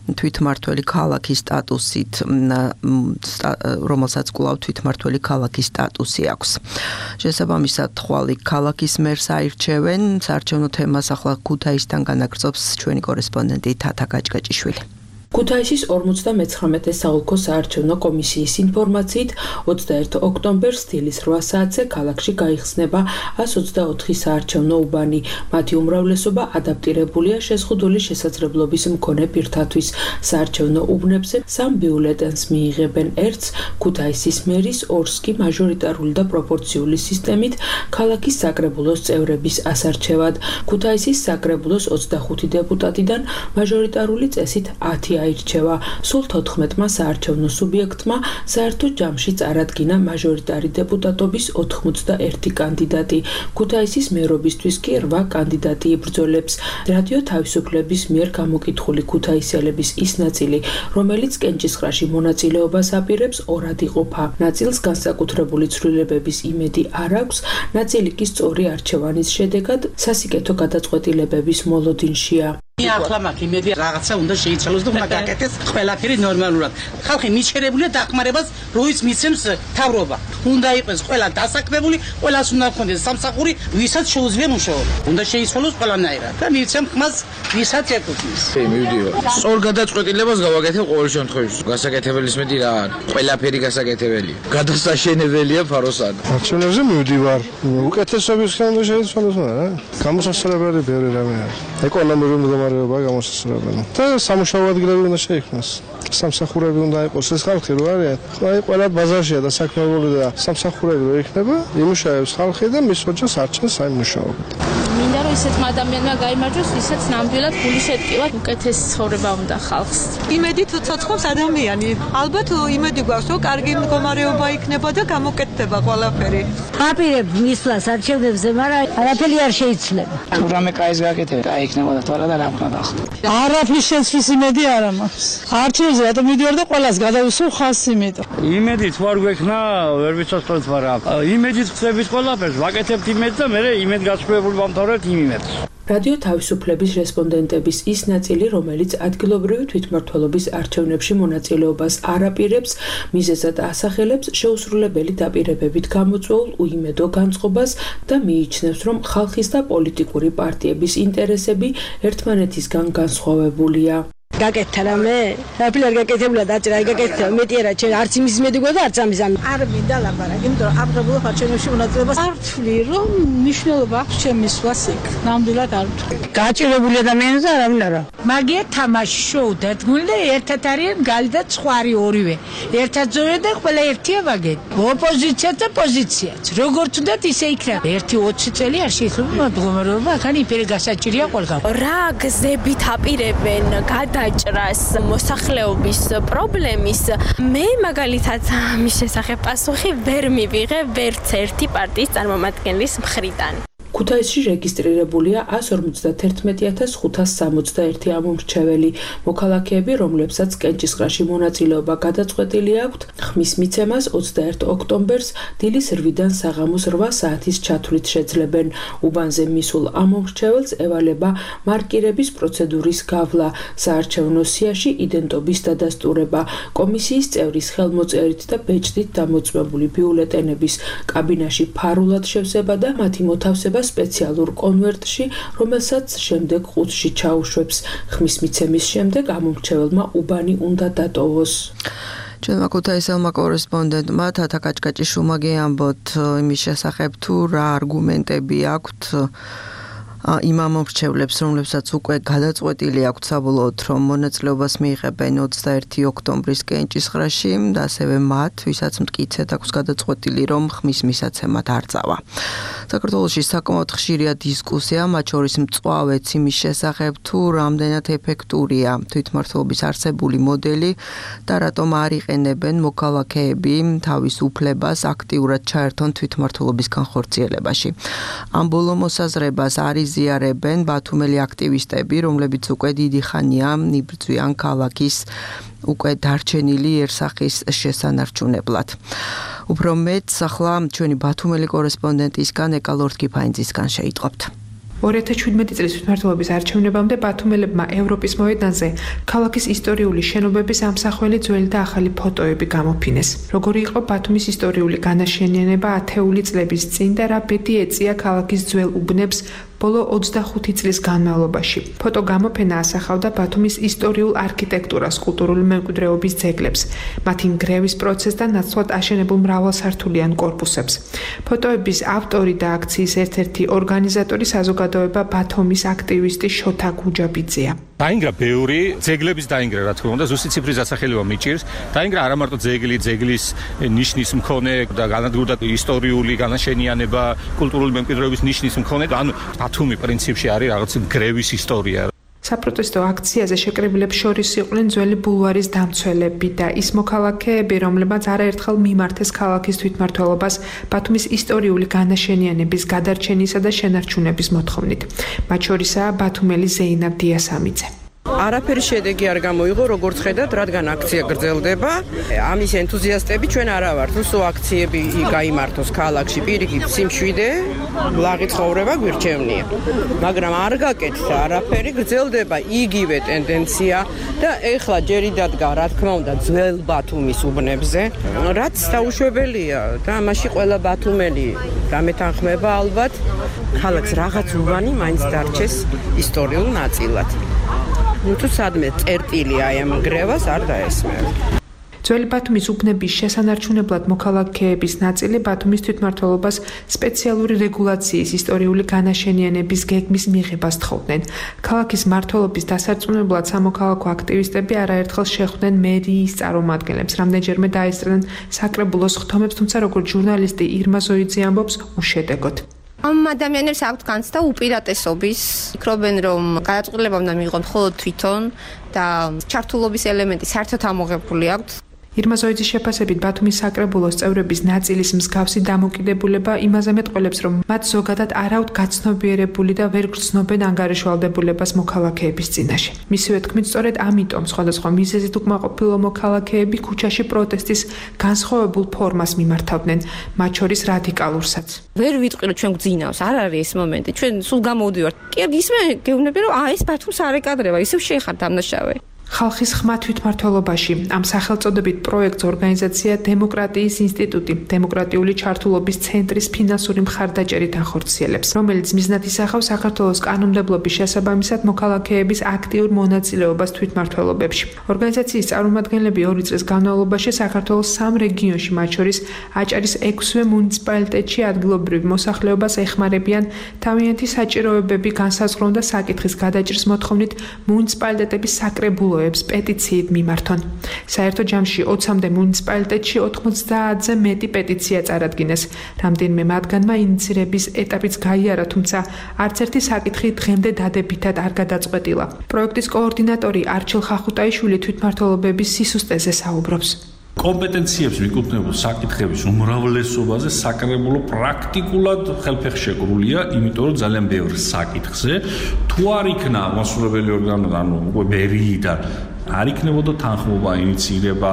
თვითმმართველი ქალაქის სტატუსით, რომელსაც კვლავ თვითმმართველი ქალაქის სტატუსი აქვს. შესაბამისად, ხვალ ქალაქის მერს აირჩევენ, საარჩევნო თემას ახლა ქუთაისთან განაგრძობს ჩვენი კორესპონდენტი თათა გაჭგაჭიშვილი. ქუთაისის ორმოცდამეცხრამეტე საოლქო საარჩევნო კომისიის ინფორმაციით, ოცდაერთი ოქტომბერს დილის რვა საათზე ქალაქში გაიხსნება ას ოცდაოთხი საარჩევნო უბანი. მათი უმრავლესობა ადაპტირებულია შეზღუდული შესაძლებლობის მქონე პირთათვის. საარჩევნო უბნებზე სამ ბიულეტენს მიიღებენ. ერთს ქუთაისის მერის, ორს კი მაჟორიტარული და პროპორციული სისტემით ქალაქის საკრებულოს წევრების ასარჩევად. ქუთაისის საკრებულოს ოცდახუთი დეპუტატიდან მაჟორიტარული წესით ათი აირჩევა. სულ თოთხმეტმა საარჩევნო სუბიექტმა საერთო ჯამში წარადგინა მაჟორიტარი დეპუტატობის ოთხმოცდაერთი კანდიდატი. ქუთაისის მერობისთვის კი რვა კანდიდატი იბრძოლებს. რადიო თავისუფლების მიერ გამოკითხული ქუთაისელების ის ნაწილი, რომელიც კენჭისყრაში მონაწილეობას აპირებს, ორად იყოფა. ნაწილს განსაკუთრებული ცვლილებების იმედი არ აქვს, ნაწილი კი სწორი არჩევანის შედეგად სასიკეთო გადაწყვეტილებების მოლოდინშია. ახლა მაქვს იმედი რაღაცა უნდა შეიცვალოს და უნდა გაკეთდეს ყველაფერი ნორმალურად. ხალხი მიჩერებულია დახმარებას, როიც მიცემს თავრობა. უნდა იყოს ყველა დასაქმებული, ყველას უნდა ჰქონდეს სამსახური, ვისაც შეუძლია მუშაობა. უნდა შეიცვალოს ყველანაირად და მიცემ ხმას, ვისაც ეკუთვნის. მივდივარ. სწორ გადაწყვეტილებას გავაკეთებ ყოველ შემთხვევაში. გასაკეთებელის მეტი რა არის? ყველაფერი გასაკეთებელია. გადასაშენებელია ფაროსან. არჩევნებზე მივდივარ. უკეთესობისგან უნდა შეიცვალოს, რა. გამოსასწორებელი ბევრი რამე არის. ეკონომიკური მდგომარეობა გამოსასწორებელი. და სამუშაო ადგილები უნდა შეიქმნას. სამსახურები უნდა იყოს ეს ხალხი რო არიან. აი ყველა ბაზარშია და საქმეობრივი და სამსახურები რო იქნება, იმუშავებს ხალხი და მის ოჯახს არჩენს აი მუშაობით. მინდა რომ ისეთმა ადამიანმა გაიმარჯვოს, ვისაც ნამდვილად გული შეტკილა უკეთეს ცხოვრება უნდა ხალხს. იმედი თუ ცოცხლობს ადამიანი. ალბათ იმედი გვაქვს, რომ კარგი მდგომარეობა იქნება და გამოკეთდება ყველაფერი. აპირებ მისვლას არჩევნებზე, მაგრამ არაფერი არ შეიცვლება. თუ რამე კაის გააკეთებ, კაი იქნებოდა თორე და რა უნდა დახო. არაფრის შეცვლის იმედი არ მაქვს. არჩევნებზე რატომ მიდივარ და ყველას გადავისვო ხას იმედო. იმედი თუ არ გვექნა, ვერ ვიცოცხლოთ, მაგრამ იმედით ხსებით ყველაფერს, ვაკეთებთ იმედს და მე იმედ გასწრებული ვამთავრებთ იმ იმედს. რადიო თავისუფლების რესპონდენტების ის ნაწილი, რომელიც ადგილობრივი თვითმმართველობის არჩევნებში მონაწილეობას არ აპირებს, მიზეზად ასახელებს შეუსრულებელი დაპირებებით გამოწვეულ უიმედო განწყობას და მიიჩნევს, რომ ხალხის და პოლიტიკური პარტიების ინტერესები ერთმანეთისგან განსხვავებულია. გაკეთდა რამე? რაფილი არ გაკეთებულა დაჭრა, გაკეთდა მეტი არა, ჩვენ არც იმის მედიგო და არც ამის ამ. არ მინდა ლაპარაკი, იმიტომ რომ აღრებულ ხარჩენებში მონაწილეობას არ ვთვლი, რომ მნიშვნელობა აქვს ჩემი სვლას იქ. ნამდვილად არ ვთვლი. გაჭირებული ადამიანს და არავინ არა. მაგია თამაში შოუ დადგმული და ერთად არიან გალი და ცხვარი ორივე. ერთად ზორი და ყველა ერთია ვაგეთ. ოპოზიცია და პოზიციაც. როგორც უნდათ ისე იქნება. ერთი ოცი წელი არ შეიძლება მდგომარეობა ახან იფერი გასაჭირია ყველგან. რა გზებით აპირებენ გადაჭრას მოსახლეობის პრობლემის მე მაგალითად ამის შესახებ პასუხი ვერ მივიღე ვერც ერთი პარტიის წარმომადგენლის მხრიდან. ქუთაისში რეგისტრირებულია ას ორმოცდათერთმეტი ათას ხუთას სამოცდაერთი ამომრჩეველი. მოქალაქეები, რომლებსაც კენჭისყრაში მონაწილეობა გადაწყვეტილი აქვთ, ხმის მიცემას ოცდაერთი ოქტომბერს დილის რვიდან საღამოს რვა საათის ჩათვლით შეძლებენ. უბანზე მისულ ამომრჩეველს ევალება მარკირების პროცედურის გავლა, საარჩევნო სიაში იდენტობის დადასტურება, კომისიის წევრის ხელმოწერით და ბეჭდით დამოწმებული ბიულეტენების კაბინაში ფარულად შევსება და მათი მოთავსება სპეციალურ კონვერტში, რომელსაც შემდეგ ყუთში ჩაუშვებს. ხმის მიცემის შემდეგ ამომრჩეველმა უბანი უნდა დატოვოს. ჩვენმა ქუთაისელმა კორესპონდენტმა თათა კაჭკაჭიშვილმა გეამბოთ იმის შესახებ თუ რა არგუმენტები აქვთ იმ ამომრჩევლებს, რომლებსაც უკვე გადაწყვეტილი აქვთ საბოლოოდ, რომ მონაწილეობას მიიღებენ ოცდაერთი ოქტომბრის კენჭისყრაში და ასევე მათ, ვისაც მტკიცედ აქვს გადაწყვეტილი, რომ ხმის მისაცემად არ წავა. საქართველოში საკმაოდ ხშირია დისკუსია, მათ შორის მწვავეც იმის შესახებ, თუ რამდენად ეფექტურია თვითმმართველობის არსებული მოდელი და რატომ არ იყენებენ მოქალაქეები თავის უფლებას აქტიურად ჩაერთონ თვითმმართველობის განხორციელებაში. ამ ბოლო მოსაზრებას არის ზიარებენ ბათუმელი აქტივისტები, რომლებიც უკვე დიდი ხანია იბრძვიან ქალაქის უკვე დარჩენილი ერსახის შესანარჩუნებლად. უფრო მეტს ახლა ჩვენი ბათუმელი კორესპონდენტისგან ეკა ლორთქიფაინძისგან შეიტყობთ. ორი ათას შვიდმეტი წლის თვითმმართველობის არჩევნებამდე ბათუმელებმა ევროპის მოედანზე ქალაქის ისტორიული შენობების ამსახველი ძველი და ახალი ფოტოები გამოფინეს. როგორი იყო ბათუმის ისტორიული განაშენიანება ათეული წლების წინ და რა ბედი ეწია ქალაქის ძველ უბნებს ბოლო ოცდახუთი წლის განმავლობაში. ფოტო გამოფენა ასახავდა ბათუმის ისტორიულ არქიტექტურას, კულტურული მემკვიდრეობის ძეგლებს, მათი ნგრევის პროცესს და ნაცვლად აშენებულ მრავალსართულიან კორპუსებს. ფოტოების ავტორი და აქციის ერთ-ერთი ორგანიზატორი საზოგადოება ბათუმის აქტივისტი შოთა გუჯაბიძეა. დაინგრა ბევრი ძეგლების დაინგრა, რა თქმა უნდა, ზუსტი ციფრის დასახელება მიჭირს. დაინგრა არა მარტო ძეგლი, ძეგლის ნიშნის მქონე და განადგურდა ისტორიული განაშენიანება, კულტურული მემკვიდრეობის ნიშნის მქონე, ანუ ბათუმი პრინციპში არის რაღაც გრევის ისტორია. საპროტესტო აქციაზე შეკრებილებს შორის იყვნენ ძველი ბულვარის დამცველები და ის მოქალაქეები, რომლებმაც არაერთხელ მიმართეს ქალაქის თვითმმართველობას ბათუმის ისტორიული განაშენიანების გადარჩენისა და შენარჩუნების მოთხოვნით. მათ შორისაა ბათუმელი ზეინაბ დიასამიძე. არაფერი შედეგი არ გამოიღო, როგორც ხედავთ, რადგან აქცია გრძელდება. ამის ენთუზიასტები ჩვენ არა ვართ, უსო აქციები გაიმართოს ქალაქში, პირიქით სიმშვიდე, ლაღი ცხოვრება გვირჩევნია. მაგრამ არ გაკეთდა არაფერი, გრძელდება იგივე ტენდენცია და ეხლა ჯერი დადგა, რა თქმა უნდა, ძველ ბათუმის უბნებზე, რაც დაუშვებელია და ამაში ყველა ბათუმელი გამეთანხმება ალბათ, ქალაქს რაღაც უბანი მაინც დარჩეს ისტორიულ ნაწილად. თუ სადმე წერტილი აი ამ გრევას არ დაესმევ. ძველი ბათუმის უბნების შესანარჩუნებლად მოქალაქეების ნაწილი ბათუმის თვითმმართველობას სპეციალური რეგულაციის ისტორიული განაშენიანების გეგმის მიღებას თხოვდნენ. ქალაქის მმართველობის დასარწმუნებლად სამოქალაქო აქტივისტები არაერთხელ შეხვდნენ მერიის წარმომადგენლებს, რამდენჯერმე დაესწრნენ საკრებულოს ხთომებს, თუმცა როგორც ჟურნალისტი ირმა ზოიძე ამბობს, უშედეგოდ. ამ ადამიანებს აქვთ განცდა უპირატესობის, ფიქრობენ, რომ გადაწყვეტილება უნდა მიიღონ მხოლოდ თვითონ და ჩართულობის ელემენტი საერთოდ ამოღებული აქვთ. ირმა ზოიძის შეფასებით ბათუმის საკრებულოს წევრების ნაწილის მსგავსი დამოკიდებულება იმაზე მეტყველებს, რომ მათ ზოგადად არ აქვთ გაცნობიერებული და ვერ გრძნობენ ანგარიშვალდებულებას მოქალაქეების წინაშე. მისივე თქმით, სწორედ ამიტომ სხვადასხვა მიზეზით უკმაყოფილო მოქალაქეები ქუჩაში პროტესტის განსხვავებულ ფორმას მიმართავდნენ, მათ შორის რადიკალურსაც. ვერ ვიტყვი, რომ ჩვენ გძინავს, არ არის ეს მომენტი. ჩვენ სულ გამოვდივართ. კი, ისმე გეუბნები, რომ აა ეს ბათუმს არ ეკადრება, ისევ შეეხარ დამნაშავე. ხალხის ხმა თვითმმართველობაში ამ სახელწოდებით პროექტს ორგანიზაცია დემოკრატიის ინსტიტუტი დემოკრატიული ჩართულობის ცენტრის ფინანსური მხარდაჭერით ახორციელებს, რომელიც მიზნად ისახავს საქართველოს კანონმდებლობის შესაბამისად მოქალაქეების აქტიურ მონაწილეობას თვითმმართველობებში. ორგანიზაციის წარმომადგენლები ორი წლის განმავლობაში საქართველოს სამ რეგიონში, მათ შორის აჭარის ექვსივე მუნიციპალიტეტში ადგილობრივ მოსახლეობას ეხმარებიან თავიანთი საჭიროებები განსაზღვრონ და საკითხის გადაჭრის მოთხოვნით მუნიციპალიტეტების საკრებულოებს პეტიციით მიმართონ. საერთო ჯამში ოცამდე მუნიციპალიტეტში ოთხმოცდაათზე მეტი პეტიცია წარადგინეს. რამდენიმე მათგანმა ინიცირების ეტაპიც გაიარა, თუმცა არც ერთი საკითხი დღემდე დადებითად არ გადაწყვეტილა. პროექტის კოორდინატორი არჩილ ხახუტაიშვილი თვითმმართველობების სისუსტეზე საუბრობს. კომპეტენციებს მიკუთვნებულ საკითხების უმრავლესობაზე საკრებულო პრაქტიკულად ხელფეხ შეკრულია, იმიტომ რომ ძალიან ბევრ საკითხზე თუ არ იქნა მასშტაბებელი ორგანო, ანუ უკვე ბერიიდან არ იქნებოდა თანხმობა, ინიციირება,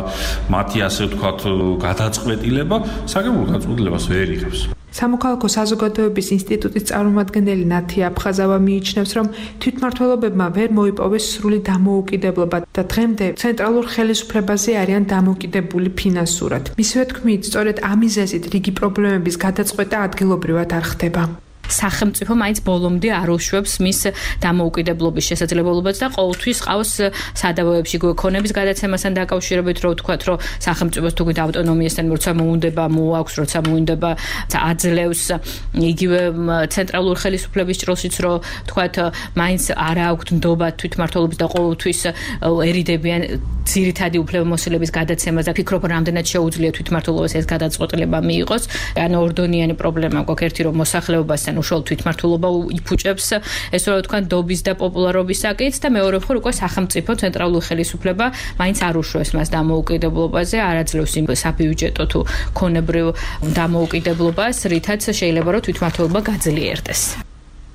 მათი ასე ვთქვათ გადაწყვეტილება, საკრებულო გადაწყვეტილებას ვერ იღებს. სამოქალაქო საზოგადოების ინსტიტუტის წარმომადგენელი ნათია აფხაზავა მიიჩნევს, რომ თვითმმართველობებმა ვერ მოიპოვეს სრული დამოუკიდებლობა და დღემდე ცენტრალურ ხელისუფლებაზე არიან დამოკიდებული ფინანსურად. მისივე თქმით, სწორედ ამ მიზეზით რიგი პრობლემების გადაწყვეტა ადგილობრივად არ ხდება. სახელმწიფო მაინც ბოლომდე არ უშვებს მის დამოუკიდებლობის შესაძლებლობებს და ყოველთვის ყავს სადავოებში გქონების გადაცემასთან დაკავშირებით, რომ ვთქვათ, რომ სახელმწიფოს თუ ავტონომიასთან როცა მოუნდება, მოაქვს, როცა მოუნდება, აძლევს იგივე ცენტრალურ ხელისუფლების ჭრილშიც, რომ ვთქვათ, მაინც არ აქვთ ნდობა თვითმმართველობის და ყოველთვის ერიდებიან ძირითადი უფლებამოსილების გადაცემას და ფიქრობ, რამდენად შეუძლია თვითმმართველობას ეს გადაწყვეტილება მიიღოს. ანუ ორდონიანი პრობლემა გვაქვს, ერთი რომ მოსახლეობასთან უშუალოდ თვითმმართველობა იფუჭებს ეს რა თქვა ნდობის და პოპულარობის საკითხს და მეორე მხრივ უკვე სახელმწიფო ცენტრალური ხელისუფლება მაინც არ უშვებს მას დამოუკიდებლობაზე, არ აძლევს იმ საბიუჯეტო თუ ქონებრივ დამოუკიდებლობას, რითაც შეიძლება რომ თვითმმართველობა გაძლიერდეს.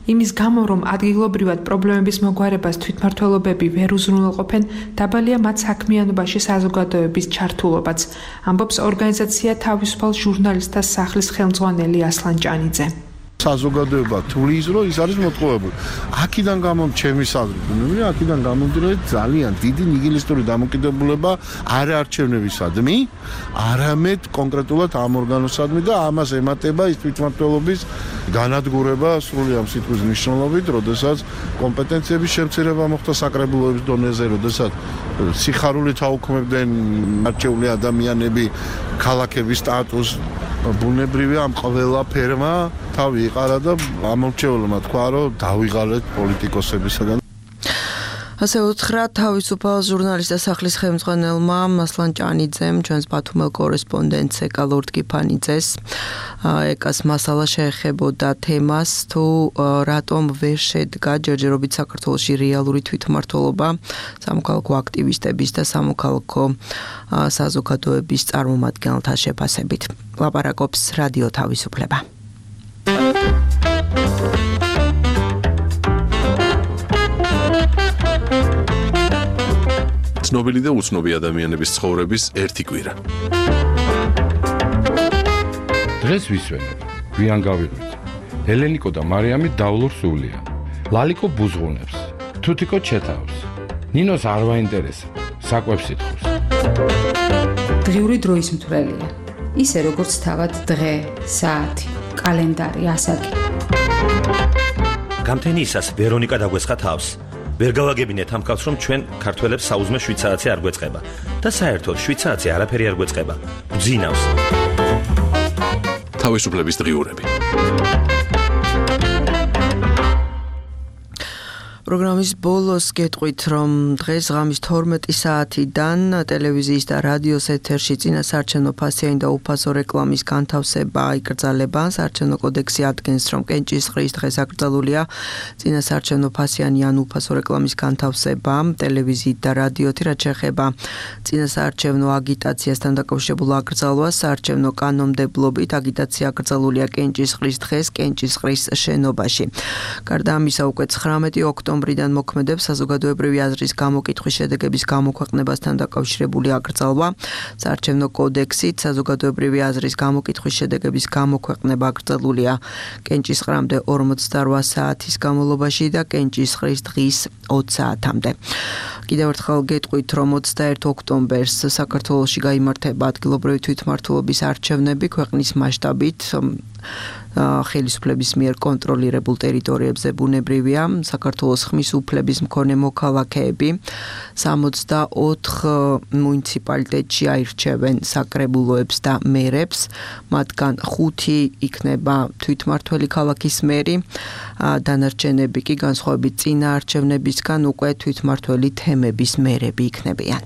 იმის გამო, რომ ადგილობრივად პრობლემების მოგვარებას თვითმმართველობები ვერ უზრუნველყოფენ, დაბალია მათ საქმიანობაში საზოგადოების ჩართულობაც, ამბობს ორგანიზაცია თავისუფალ ჟურნალისტთა სახლის ხელმძღვანელი ასლან ჭანიძე. საზოგადოება თulis რომ ის არის მოტყუებული. აქედან გამომდინარე, ჩემი საზრდოები, აქედან გამომდინარე ძალიან დიდი ნიგილისტური დამოკიდებულება არ არჩევნებისადმი, არამედ კონკრეტულად ამ ორგანოსადმი და ამას ემატება ის თვითმმართველობის განადგურება სრული ამ სიტყვის მნიშვნელობით, როდესაც კომპეტენციების შემცირება მოხდა საკრებულოების დონეზე, როდესაც სიხარულით აუქმებდნენ არჩეული ადამიანები ქალაქების სტატუსს, ბუნებრივია ამ ყველა ფერმა თავი იყარა და ამორჩეულმა თქვა, რომ დავიღალეთ პოლიტიკოსებისაგან. ასე უთხრა თავისუფალ ჟურნალისტთა სახლის ხელმძღვანელმა ასლან ჭანიძემ ჩვენს ბათუმელ კორესპონდენტს ეკა ლორდ-კიფანიძეს. ეკას მასალა შეეხებოდა თემას, თუ რატომ ვერ შედგა ჯერჯერობით საქართველოში რეალური თვითმმართველობა სამოქალაქო აქტივისტების და სამოქალაქო საზოგადოების წარმომადგენელთა შეფასებით. ლაპარაკობს რადიო თავისუფლება. ცნობილი და უცნობი ადამიანების ცხოვრების ერთი კვირა. დღეს ვისვენებ, გვიან გავიღვიძ. ელენიკო და მარიამი დავლურ სულიან. ლალიკო ბუზღუნებს, თუთიკო ჩეთავს. ნინოს არ ვაინტერესებს, საკვებს ითხოვს. დღიური დროის მთვრელია. ისე როგორც თავად დღე, საათი, კალენდარი, ასაკი. გამთენიისას ვერონიკა დაგვესხა თავს. ვერ გავაგებინეთ ამ კაცს, რომ ჩვენ ქართველებს საუზმე შვიდ საათზე არ გვეწყება და საერთოდ შვიდ საათზე არაფერი არ გვეწყება. ბძინავს. თავისუფლების დღიურები. პროგრამის ბოლოს გეტყვით, რომ დღეს ღამის თორმეტი საათიდან ტელევიზიის და რადიოს ეთერში წინასაარჩევნო ფასიანი და უფასო რეკლამის განთავსება იკრძალება. საარჩევნო კოდექსი ადგენს, რომ კენჭისყრის დღეს აკრძალულია წინასაარჩევნო ფასიანი ან უფასო რეკლამის განთავსება ტელევიზიით და რადიოთი, რაც შეეხება წინასაარჩევნო აგიტაციასთან დაკავშირებულ აკრძალვას. საარჩევნო კანონმდებლობით აგიტაცია აკრძალულია კენჭისყრის დღეს კენჭისყრის შენობაში. გარდა ამისა, უკვე ცხრამეტი ოქტომბრი ბრიდან მოქმედებს საზოგადოებრივი აზრის გამოკითხვის შედეგების გამოქვეყნებასთან დაკავშირებული აკრძალვა. საარჩევნო კოდექსით საზოგადოებრივი აზრის გამოკითხვის შედეგების გამოქვეყნება აკრძალულია კენჭისყრამდე ორმოცდარვა საათის განმავლობაში და კენჭისყრის დღის ოცი საათამდე. კიდევ ერთხელ გეტყვით, რომ ოცდაერთი ოქტომბერს საქართველოში გაიმართება ადგილობრივი თვითმმართველობის არჩევნები ქვეყნის მასშტაბით. ხელისუფლების მიერ კონტროლირებულ ტერიტორიებზე ბუნებრივია საქართველოს ხმის უფლების მქონე მოქალაქეები სამოცდაოთხ მუნიციპალიტეტში აირჩევენ საკრებულოებს და მერებს, მათგან ხუთი იქნება თვითმმართველი ქალაქის მერი, დანარჩენები კი განსხვავებით წინა არჩევნებისგან უკვე თვითმმართველი თემების მერები იქნებიან.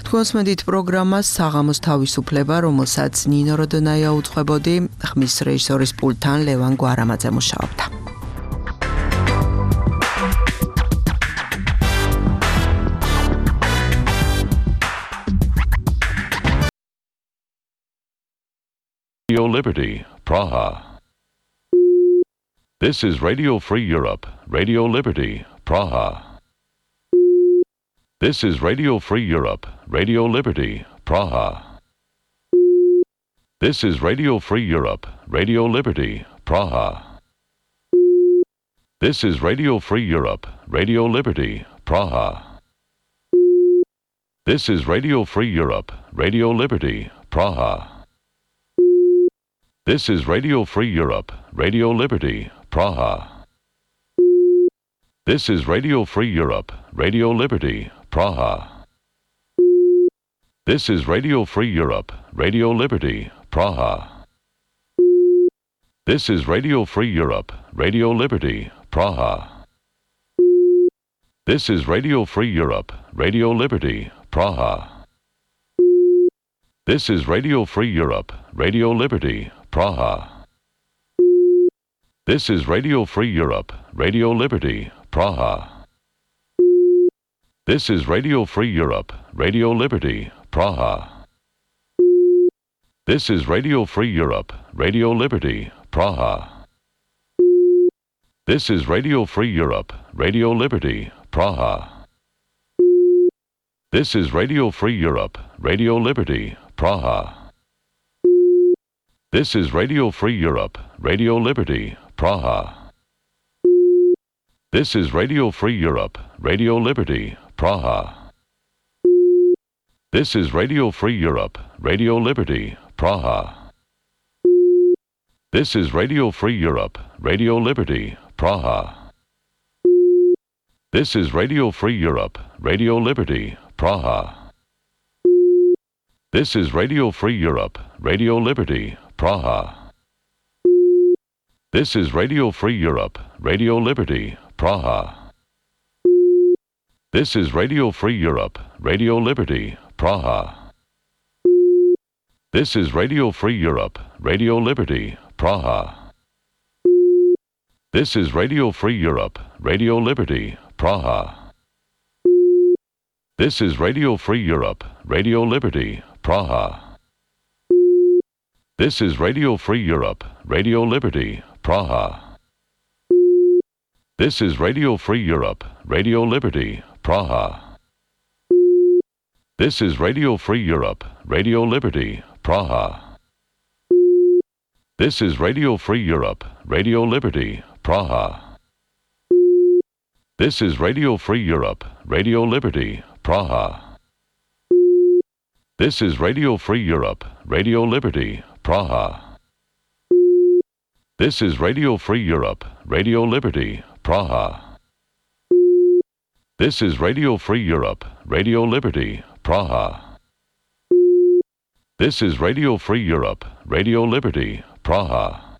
თქვენს მედით პროგრამას საღამოს თავისუფლება, რომელსაც ნინო როდონაია უძღვებოდი, ხმის რეჟისორის პულტთან ლევან გვარამაძე მუშაობდა. Radio Liberty, Praha. This is Radio Free Europe, Radio Liberty, Praha. This is Radio Free Europe, Radio Liberty, Praha. This is Radio Free Europe, Radio Liberty, Praha. This is Radio Free Europe, Radio Liberty, Praha. This is Radio Free Europe, Radio Liberty, Praha. This is Radio Free Europe, Radio Liberty, Praha. This is Radio Free Europe, Radio Liberty, Praha. This is Radio Free Europe, Radio Liberty, Praha. This is Radio Free Europe, Radio Liberty, Praha. This is Radio Free Europe, Radio Liberty, Praha. This is Radio Free Europe, Radio Liberty, Praha. This is Radio Free Europe, Radio Liberty, Praha. This is Radio Free Europe, Radio Liberty, Praha. This is Radio Free Europe, Radio Liberty, Praha. This is Radio Free Europe, Radio Liberty, Praha. This is Radio Free Europe, Radio Liberty, Praha. This is Radio Free Europe, Radio Liberty, Praha. This is Radio Free Europe, Radio Liberty, Praha. This is Radio Free Europe, Radio Liberty, Praha. This is Radio Free Europe, Radio Liberty, Praha. This is Radio Free Europe, Radio Liberty, Praha. This is Radio Free Europe, Radio Liberty, Praha. This is Radio Free Europe, Radio Liberty, Praha. This is Radio Free Europe, Radio Liberty, Praha. This is Radio Free Europe, Radio Liberty, Praha. This is Radio Free Europe, Radio Liberty, Praha. This is Radio Free Europe, Radio Liberty, Praha. This is Radio Free Europe, Radio Liberty, Praha. This is Radio Free Europe, Radio Liberty, Praha. This is Radio Free Europe, Radio Liberty, Praha. This is Radio Free Europe, Radio Liberty, Praha. This is Radio Free Europe, Radio Liberty, Praha. This is Radio Free Europe, Radio Liberty, Praha. This is Radio Free Europe, Radio Liberty, Praha. This is Radio Free Europe, Radio Liberty, Praha. This is Radio Free Europe, Radio Liberty, Praha.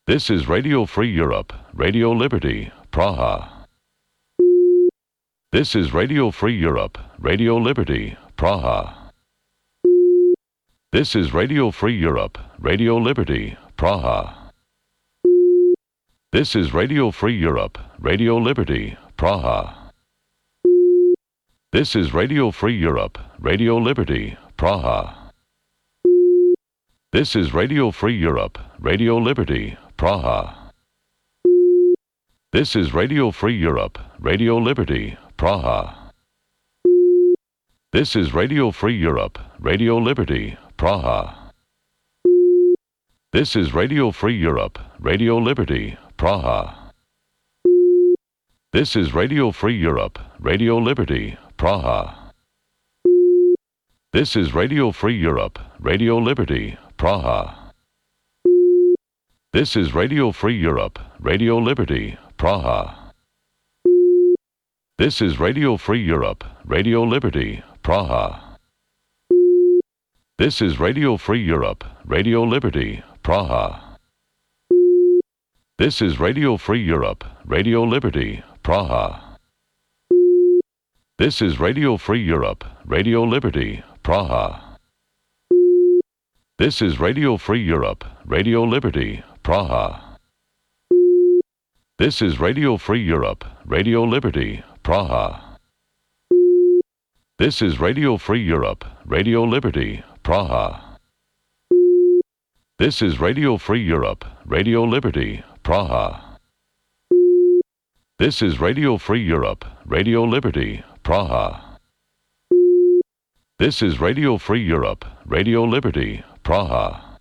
This is Radio Free Europe, Radio Liberty, Praha. This is Radio Free Europe, Radio Liberty, Praha. This is Radio Free Europe, Radio Liberty, Praha. This is Radio Free Europe, Radio Liberty, Praha. This is Radio Free Europe, Radio Liberty, Praha. This is Radio Free Europe, Radio Liberty, Praha. This is Radio Free Europe, Radio Liberty, Praha. This is Radio Free Europe, Radio Liberty, Praha. This is Radio Free Europe, Radio Liberty, Praha. This is Radio Free Europe, Radio Liberty, Praha. This is Radio Free Europe, Radio Liberty, Praha. This is Radio Free Europe, Radio Liberty, Praha. This is Radio Free Europe, Radio Liberty, Praha. This is Radio Free Europe, Radio Liberty, Praha. This is Radio Free Europe, Radio Liberty, Praha. This is Radio Free Europe, Radio Liberty, Praha. This is Radio Free Europe, Radio Liberty, Praha. This is Radio Free Europe, Radio Liberty, Praha. This is Radio Free Europe, Radio Liberty, Praha. This is Radio Free Europe, Radio Liberty, Praha. This is Radio Free Europe, Radio Liberty, Praha. This is Radio Free Europe, Radio Liberty, Praha.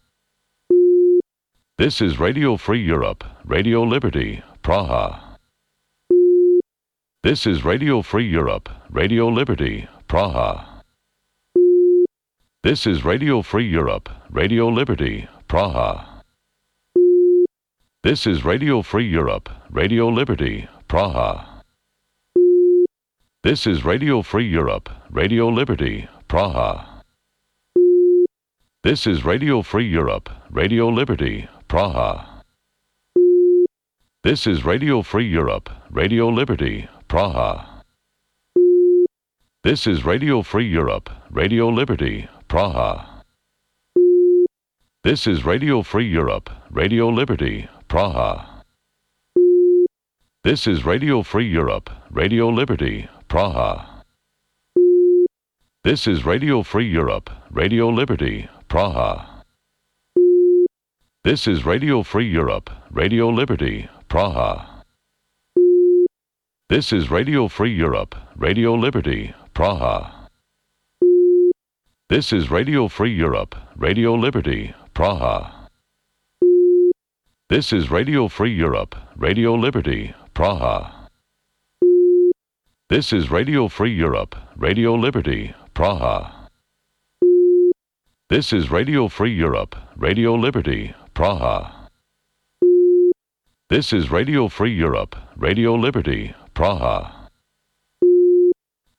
This is Radio Free Europe, Radio Liberty, Praha. This is Radio Free Europe, Radio Liberty, Praha. This is Radio Free Europe, Radio Liberty, Praha. This is Radio Free Europe, Radio Liberty, Praha. This is Radio Free Europe, Radio Liberty, Praha. This is Radio Free Europe, Radio Liberty, Praha. This is Radio Free Europe, Radio Liberty, Praha. This is Radio Free Europe, Radio Liberty, Praha. This is Radio Free Europe, Radio Liberty, Praha. This is Radio Free Europe, Radio Liberty, Praha. This is Radio Free Europe, Radio Liberty, Praha. This is Radio Free Europe, Radio Liberty, Praha. This is Radio Free Europe, Radio Liberty, Praha. This is Radio Free Europe, Radio Liberty, Praha. This is Radio Free Europe, Radio Liberty, Praha. This is Radio Free Europe, Radio Liberty, Praha. This is Radio Free Europe, Radio Liberty, Praha. This is Radio Free Europe, Radio Liberty, Praha.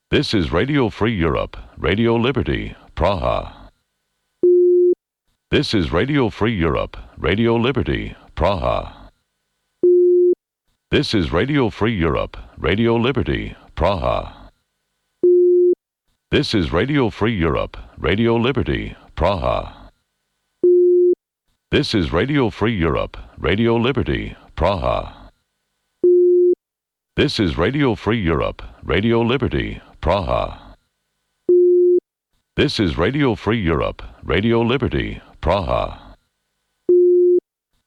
This is Radio Free Europe, Radio Liberty, Praha. This is Radio Free Europe, Radio Liberty, Praha. This is Radio Free Europe, Radio Liberty, Praha. This is Radio Free Europe, Radio Liberty, Praha. This is Radio Free Europe, Radio Liberty, Praha. This is Radio Free Europe, Radio Liberty, Praha. This is Radio Free Europe, Radio Liberty, Praha.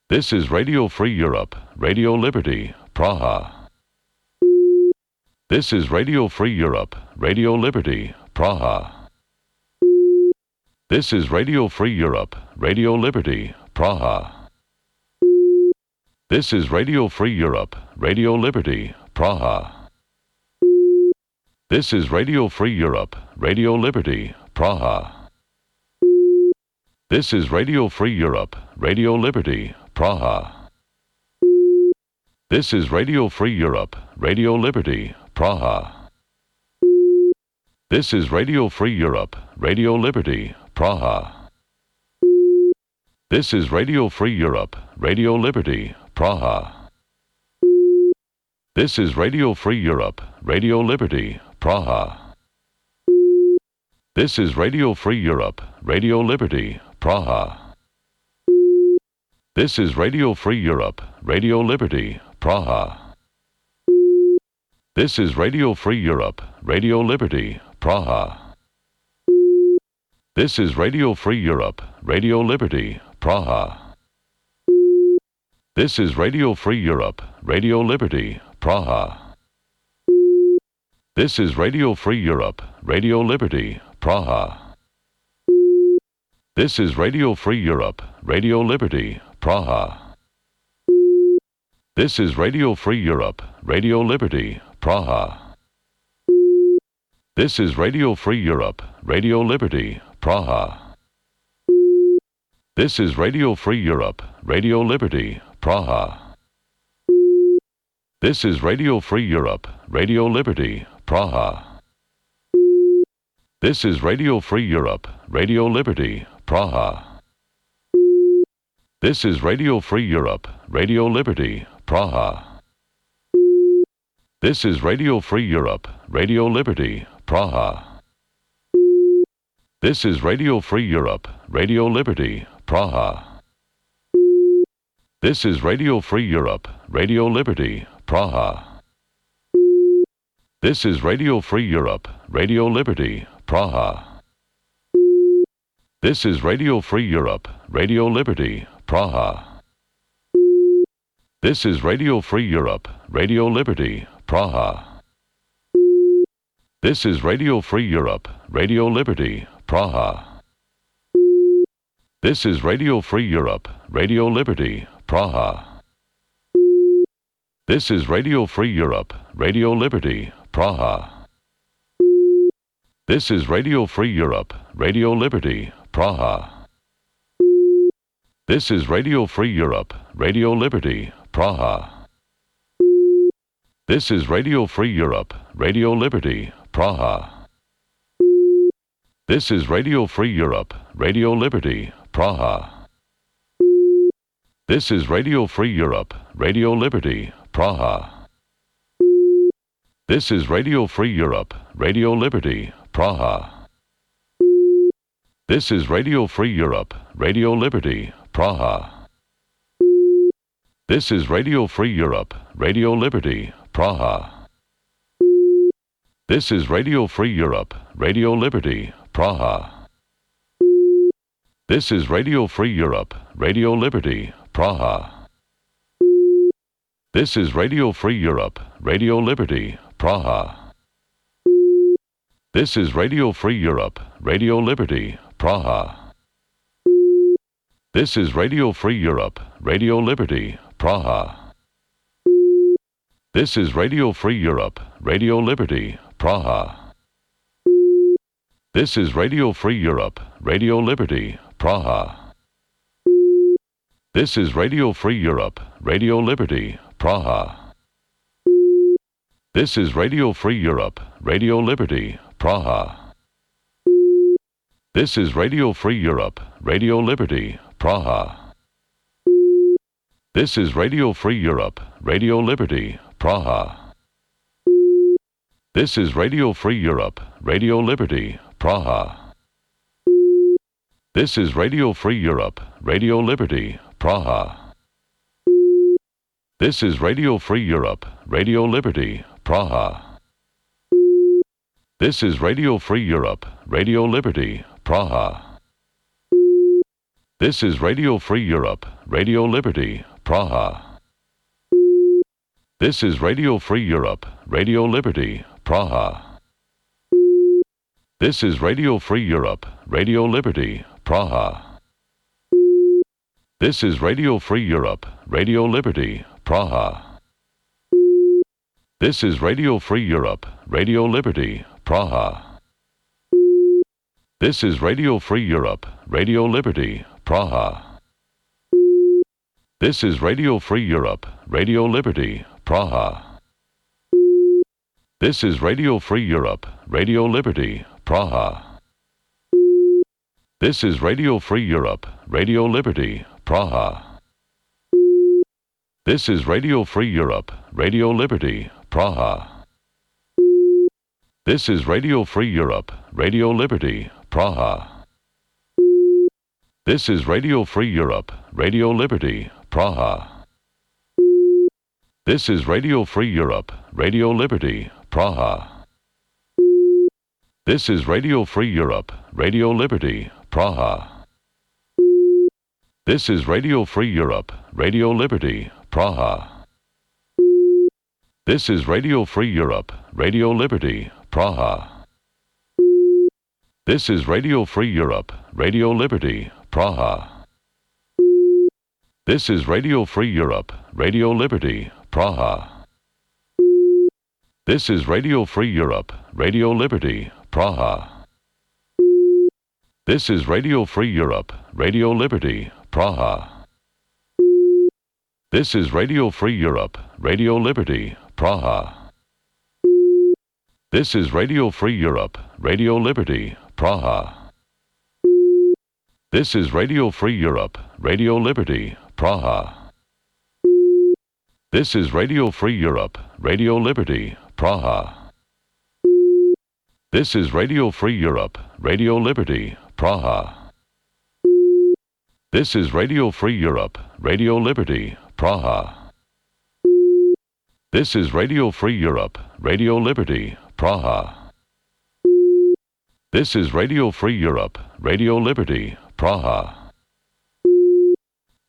This is Radio Free Europe, Radio Liberty, Praha. This is Radio Free Europe, Radio Liberty, Praha. This is Radio Free Europe, Radio Liberty, Praha. This is Radio Free Europe, Radio Liberty, Praha. This is Radio Free Europe, Radio Liberty, Praha. This is Radio Free Europe, Radio Liberty, Praha. This is Radio Free Europe, Radio Liberty, Praha. This is Radio Free Europe, Radio Liberty, Praha. This is Radio Free Europe, Radio Liberty, Praha. This is Radio Free Europe, Radio Liberty, Praha. This is Radio Free Europe, Radio Liberty, Praha. This is Radio Free Europe, Radio Liberty, Praha. This is Radio Free Europe, Radio Liberty, Praha. This is Radio Free Europe, Radio Liberty, Praha. This is Radio Free Europe, Radio Liberty, Praha. This is Radio Free Europe, Radio Liberty, Praha. This is Radio Free Europe, Radio Liberty, Praha. This is Radio Free Europe, Radio Liberty, Praha. This is Radio Free Europe, Radio Liberty, Praha. This is Radio Free Europe, Radio Liberty, Praha. This is Radio Free Europe, Radio Liberty, Praha. This is Radio Free Europe, Radio Liberty, Praha. This is Radio Free Europe, Radio Liberty, Praha. This is Radio Free Europe, Radio Liberty, Praha. This is Radio Free Europe, Radio Liberty, Praha. This is Radio Free Europe, Radio Liberty, Praha. This is Radio Free Europe, Radio Liberty, Praha. This is Radio Free Europe, Radio Liberty, Praha. This is Radio Free Europe, Radio Liberty, Praha. This is Radio Free Europe, Radio Liberty, Praha. This is Radio Free Europe, Radio Liberty, Praha. This is Radio Free Europe, Radio Liberty, Praha. This is Radio Free Europe, Radio Liberty, Praha. This is Radio Free Europe, Radio Liberty, Praha. This is Radio Free Europe, Radio Liberty, Praha. This is Radio Free Europe, Radio Liberty, Praha. This is Radio Free Europe, Radio Liberty, Praha. This is Radio Free Europe, Radio Liberty, Praha. This is Radio Free Europe, Radio Liberty, Praha. This is Radio Free Europe, Radio Liberty, Praha. This is Radio Free Europe, Radio Liberty, Praha. This is Radio Free Europe, Radio Liberty, Praha. This is Radio Free Europe, Radio Liberty, Praha. This is Radio Free Europe, Radio Liberty, Praha. This is Radio Free Europe, Radio Liberty, Praha. This is Radio Free Europe, Radio Liberty, Praha. This is Radio Free Europe, Radio Liberty, Praha. This is Radio Free Europe, Radio Liberty, Praha. This is Radio Free Europe, Radio Liberty, Praha. This is Radio Free Europe, Radio Liberty, Praha. This is Radio Free Europe, Radio Liberty, Praha. This is Radio Free Europe, Radio Liberty, Praha. This is Radio Free Europe, Radio Liberty, Praha. This is Radio Free Europe, Radio Liberty, Praha. This is Radio Free Europe, Radio Liberty, Praha. This is Radio Free Europe, Radio Liberty, Praha. This is Radio Free Europe, Radio Liberty, Praha. This is Radio Free Europe, Radio Liberty, Praha. This is Radio Free Europe, Radio Liberty, Praha. This is Radio Free Europe, Radio Liberty, Praha. This is Radio Free Europe, Radio Liberty, Praha. This is Radio Free Europe, Radio Liberty, Praha. This is Radio Free Europe, Radio Liberty, Praha. This is Radio Free Europe, Radio Liberty, Praha. This is Radio Free Europe, Radio Liberty, Praha. This is Radio Free Europe, Radio Liberty, Praha. This is Radio Free Europe, Radio Liberty, Praha. This is Radio Free Europe, Radio Liberty, Praha. This is Radio Free Europe, Radio Liberty, Praha. This is Radio Free Europe, Radio Liberty, Praha. This is Radio Free Europe, Radio Liberty, Praha. This is Radio Free Europe, Radio Liberty, Praha. This is Radio Free Europe, Radio Liberty, Praha. This is Radio Free Europe, Radio Liberty, Praha. This is Radio Free Europe, Radio Liberty, Praha. This is Radio Free Europe, Radio Liberty, Praha. This is Radio Free Europe, Radio Liberty, Praha. This is Radio Free Europe, Radio Liberty, Praha. This is Radio Free Europe, Radio Liberty, Praha. This is Radio Free Europe, Radio Liberty, Praha. This is Radio Free Europe, Radio Liberty, Praha. This is Radio Free Europe, Radio Liberty, Praha. This is Radio Free Europe, Radio Liberty, Praha.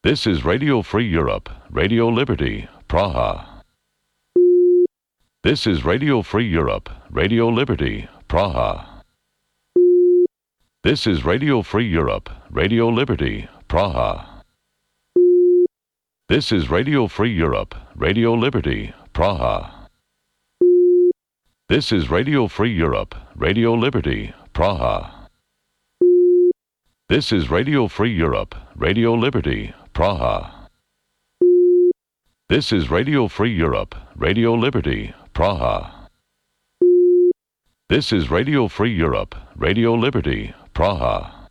This is Radio Free Europe, Radio Liberty, Praha. This is Radio Free Europe, Radio Liberty, Praha. This is Radio Free Europe, Radio Liberty, Praha. This is Radio Free Europe, Radio Liberty, Praha. This is Radio Free Europe, Radio Liberty, Praha. This is Radio Free Europe, Radio Liberty, Praha. This is Radio Free Europe, Radio Liberty, Praha. This is Radio Free Europe, Radio Liberty, Praha.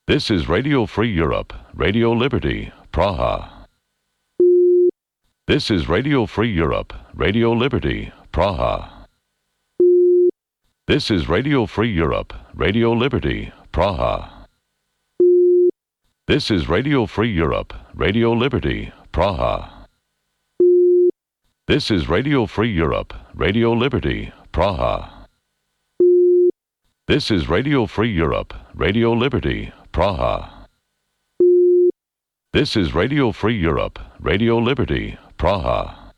This is Radio Free Europe, Radio Liberty, Praha. This is Radio Free Europe, Radio Liberty, Praha. This is Radio Free Europe, Radio Liberty, Praha. This is Radio Free Europe, Radio Liberty, Praha. This is Radio Free Europe, Radio Liberty, Praha. This is Radio Free Europe, Radio Liberty, Praha. This is Radio Free Europe, Radio Liberty, Praha.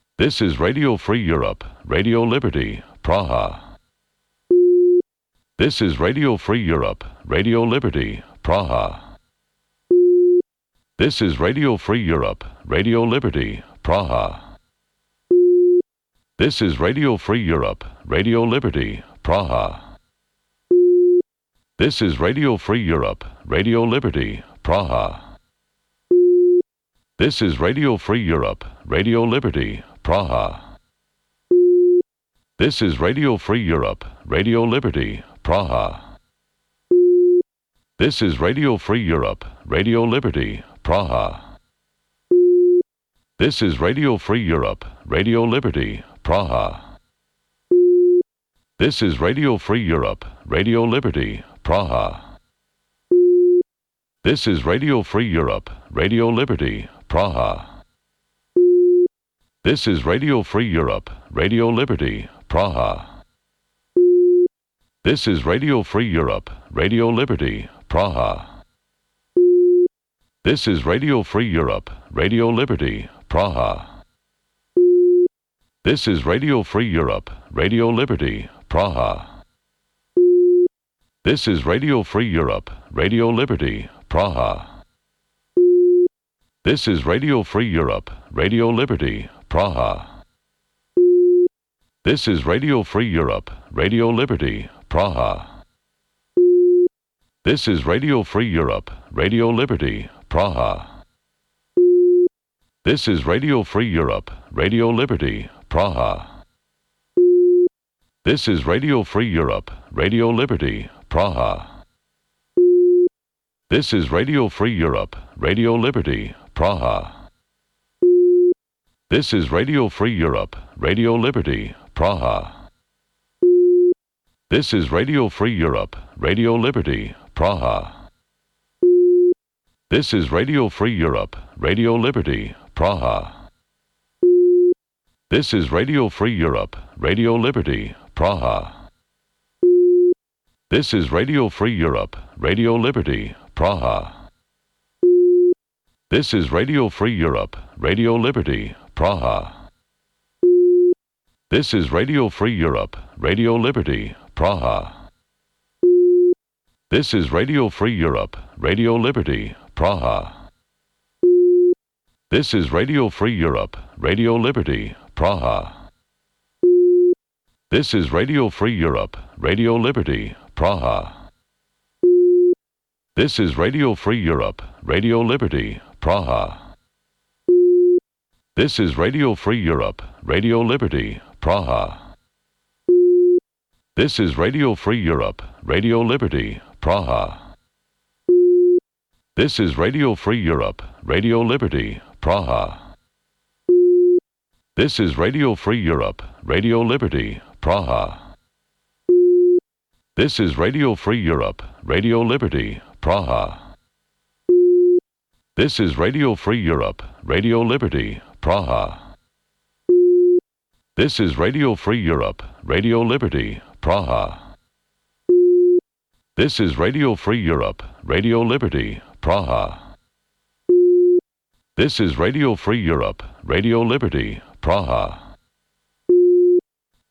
This is Radio Free Europe, Radio Liberty, Praha. This is Radio Free Europe, Radio Liberty, Praha. This is Radio Free Europe, Radio Liberty, Praha. This is Radio Free Europe, Radio Liberty, Praha. This is Radio Free Europe, Radio Liberty, Praha. This is Radio Free Europe, Radio Liberty, Praha. This is Radio Free Europe, Radio Liberty, Praha. This is Radio Free Europe, Radio Liberty, Praha. This is Radio Free Europe, Radio Liberty, Praha. This is Radio Free Europe, Radio Liberty, Praha. This is Radio Free Europe, Radio Liberty, Praha. This is Radio Free Europe, Radio Liberty, Praha. This is Radio Free Europe, Radio Liberty, Praha. This is Radio Free Europe, Radio Liberty, Praha. This is Radio Free Europe, Radio Liberty, Praha. This is Radio Free Europe, Radio Liberty, Praha. This is Radio Free Europe, Radio Liberty, Praha. This is Radio Free Europe, Radio Liberty, Praha. This is Radio Free Europe, Radio Liberty, Praha. This is Radio Free Europe, Radio Liberty, Praha. This is Radio Free Europe, Radio Liberty, Praha. This is Radio Free Europe, Radio Liberty, Praha. This is Radio Free Europe, Radio Liberty, Praha. This is Radio Free Europe, Radio Liberty, Praha. This is Radio Free Europe, Radio Liberty, Praha. This is Radio Free Europe, Radio Liberty, Praha. This is Radio Free Europe, Radio Liberty, Praha. This is Radio Free Europe, Radio Liberty, Praha. This is Radio Free Europe, Radio Liberty, Praha. This is Radio Free Europe, Radio Liberty, Praha. This is Radio Free Europe, Radio Liberty, Praha. This is Radio Free Europe, Radio Liberty, Praha. This is Radio Free Europe, Radio Liberty, Praha. This is Radio Free Europe, Radio Liberty, Praha. This is Radio Free Europe, Radio Liberty, Praha. This is Radio Free Europe, Radio Liberty, Praha. This is Radio Free Europe, Radio Liberty, Praha. This is Radio Free Europe, Radio Liberty, Praha. This is Radio Free Europe, Radio Liberty, Praha. This is Radio Free Europe, Radio Liberty, Praha. This is Radio Free Europe, Radio Liberty, Praha. This is Radio Free Europe, Radio Liberty, Praha.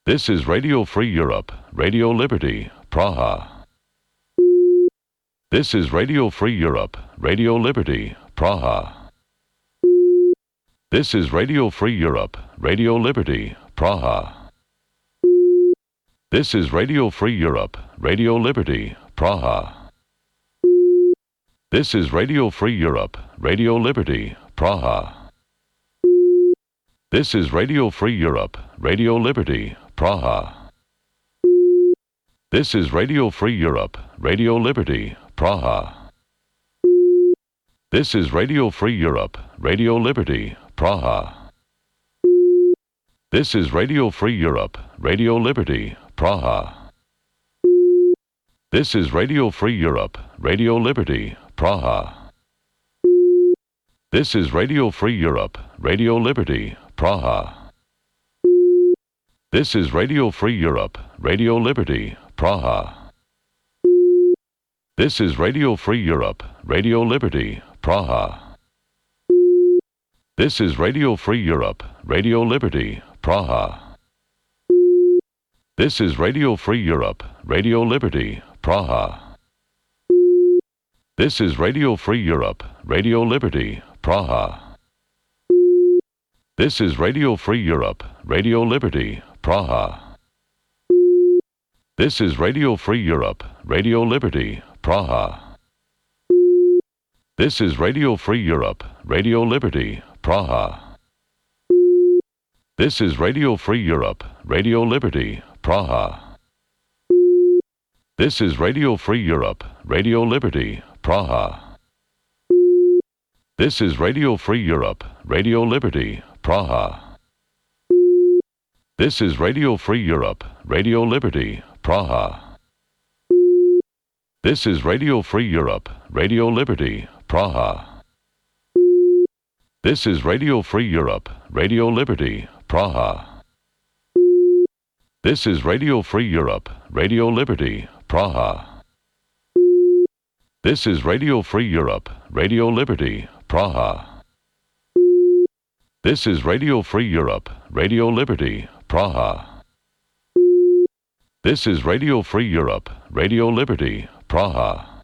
This is Radio Free Europe, Radio Liberty, Praha. This is Radio Free Europe, Radio Liberty, Praha. This is Radio Free Europe, Radio Liberty, Praha. This is Radio Free Europe, Radio Liberty, Praha. This is Radio Free Europe, Radio Liberty, Praha. This is Radio Free Europe, Radio Liberty, Praha. This is Radio Free Europe, Radio Liberty, Praha. This is Radio Free Europe, Radio Liberty, Praha. This is Radio Free Europe, Radio Liberty, Praha. This is Radio Free Europe, Radio Liberty, Praha. This is Radio Free Europe, Radio Liberty, Praha. This is Radio Free Europe, Radio Liberty, Praha. This is Radio Free Europe, Radio Liberty, Praha. This is Radio Free Europe, Radio Liberty, Praha. This is Radio Free Europe, Radio Liberty, Praha. This is Radio Free Europe, Radio Liberty, Praha. This is Radio Free Europe, Radio Liberty, Praha. This is Radio Free Europe, Radio Liberty, Praha. This is Radio Free Europe, Radio Liberty, Praha. This is Radio Free Europe, Radio Liberty, Praha. This is Radio Free Europe, Radio Liberty, Praha. This is Radio Free Europe, Radio Liberty, Praha. This is Radio Free Europe, Radio Liberty, Praha. This is Radio Free Europe, Radio Liberty, Praha. This is Radio Free Europe, Radio Liberty, Praha. This is Radio Free Europe, Radio Liberty, Praha. This is Radio Free Europe, Radio Liberty, Praha. This is Radio Free Europe, Radio Liberty, Praha. This is Radio Free Europe, Radio Liberty, Praha.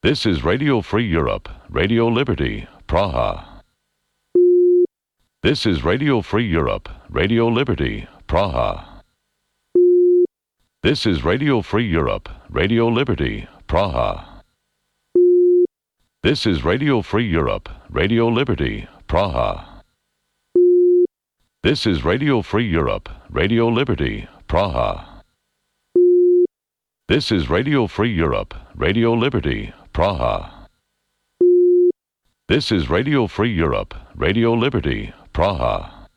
This is Radio Free Europe, Radio Liberty, Praha. This is Radio Free Europe, Radio Liberty, Praha. This is Radio Free Europe, Radio Liberty, Praha. This is Radio Free Europe, Radio Liberty, Praha. This is Radio Free Europe, Radio Liberty, Praha. This is Radio Free Europe, Radio Liberty, Praha. This is Radio Free Europe, Radio Liberty, Praha.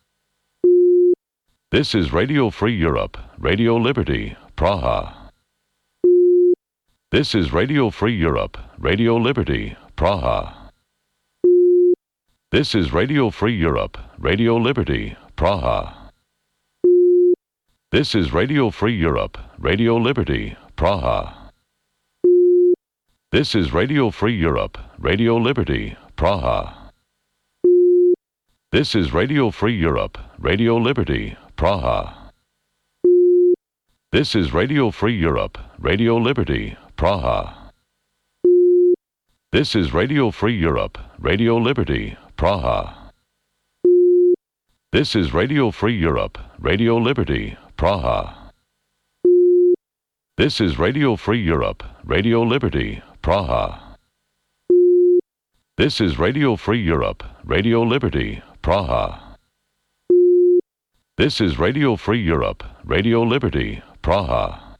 This is Radio Free Europe, Radio Liberty, Praha. This is Radio Free Europe, Radio Liberty, Praha. This is Radio Free Europe, Radio Liberty, Praha. This is Radio Free Europe, Radio Liberty, Praha. This is Radio Free Europe, Radio Liberty, Praha. This is Radio Free Europe, Radio Liberty, Praha. This is Radio Free Europe, Radio Liberty, Praha. This is Radio Free Europe, Radio Liberty, Praha. This is Radio Free Europe, Radio Liberty, Praha. This is Radio Free Europe, Radio Liberty, Praha. This is Radio Free Europe, Radio Liberty, Praha. This is Radio Free Europe, Radio Liberty, Praha.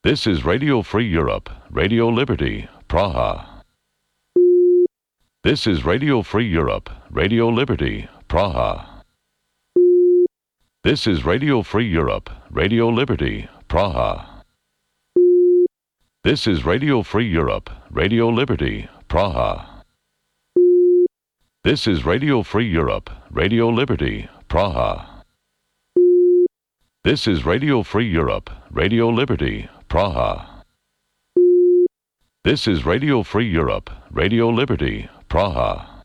This is Radio Free Europe, Radio Liberty, Praha. This is Radio Free Europe, Radio Liberty, Praha. This is Radio Free Europe, Radio Liberty, Praha. This is Radio Free Europe, Radio Liberty, Praha. This is Radio Free Europe, Radio Liberty, Praha. This is Radio Free Europe, Radio Liberty, Praha. This is Radio Free Europe, Radio Liberty, Praha.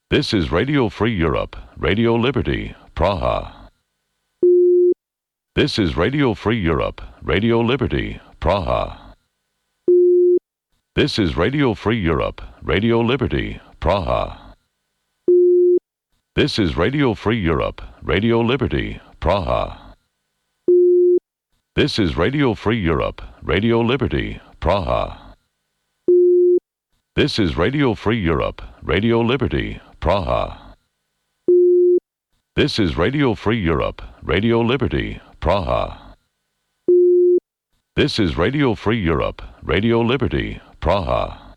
This is Radio Free Europe, Radio Liberty, Praha. This is Radio Free Europe, Radio Liberty, Praha. This is Radio Free Europe, Radio Liberty, Praha. This is Radio Free Europe, Radio Liberty, Praha. This is Radio Free Europe, Radio Liberty, Praha. This is Radio Free Europe, Radio Liberty, Praha. This is Radio Free Europe, Radio Liberty, Praha. This is Radio Free Europe, Radio Liberty, Praha.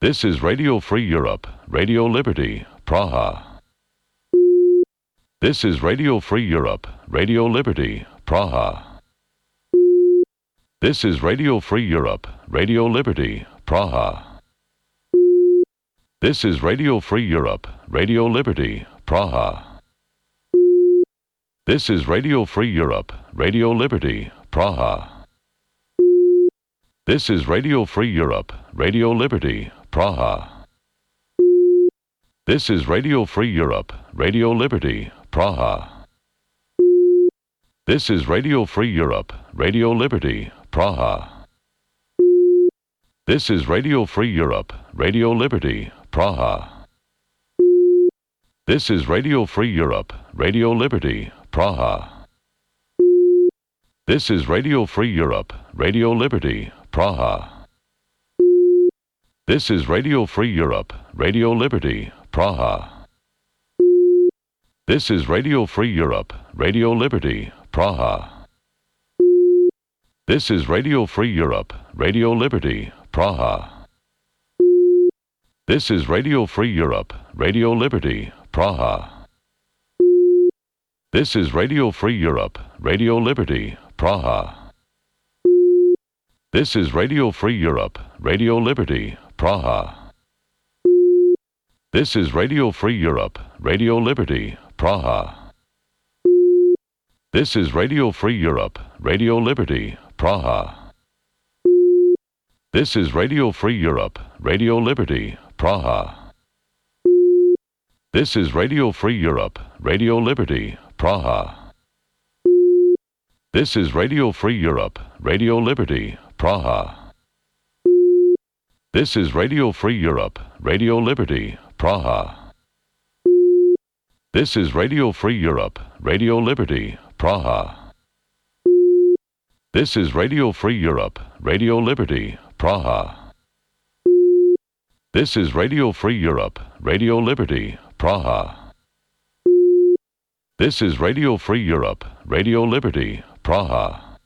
This is Radio Free Europe, Radio Liberty, Praha. This is Radio Free Europe, Radio Liberty, Praha. This is Radio Free Europe, Radio Liberty, Praha. This is Radio Free Europe, Radio Liberty, Praha. This is Radio Free Europe, Radio Liberty, Praha. This is Radio Free Europe, Radio Liberty, Praha. This is Radio Free Europe, Radio Liberty, Praha. This is Radio Free Europe, Radio Liberty, Praha. This is Radio Free Europe, Radio Liberty, Praha. This is Radio Free Europe, Radio Liberty, Praha. This is Radio Free Europe, Radio Liberty, Praha. This is Radio Free Europe, Radio Liberty, Praha. This is Radio Free Europe, Radio Liberty, Praha. This is Radio Free Europe, Radio Liberty, Praha. This is Radio Free Europe, Radio Liberty, Praha. This is Radio Free Europe, Radio Liberty, Praha. This is Radio Free Europe, Radio Liberty, Praha. This is Radio Free Europe, Radio Liberty, Praha. This is Radio Free Europe, Radio Liberty, Praha. This is Radio Free Europe, Radio Liberty, Praha. This is Radio Free Europe, Radio Liberty, Praha. This is Radio Free Europe, Radio Liberty, Praha. This is Radio Free Europe, Radio Liberty, Praha. This is Radio Free Europe, Radio Liberty, Praha. This is Radio Free Europe, Radio Liberty, Praha. This is Radio Free Europe, Radio Liberty, Praha. This is Radio Free Europe, Radio Liberty, Praha.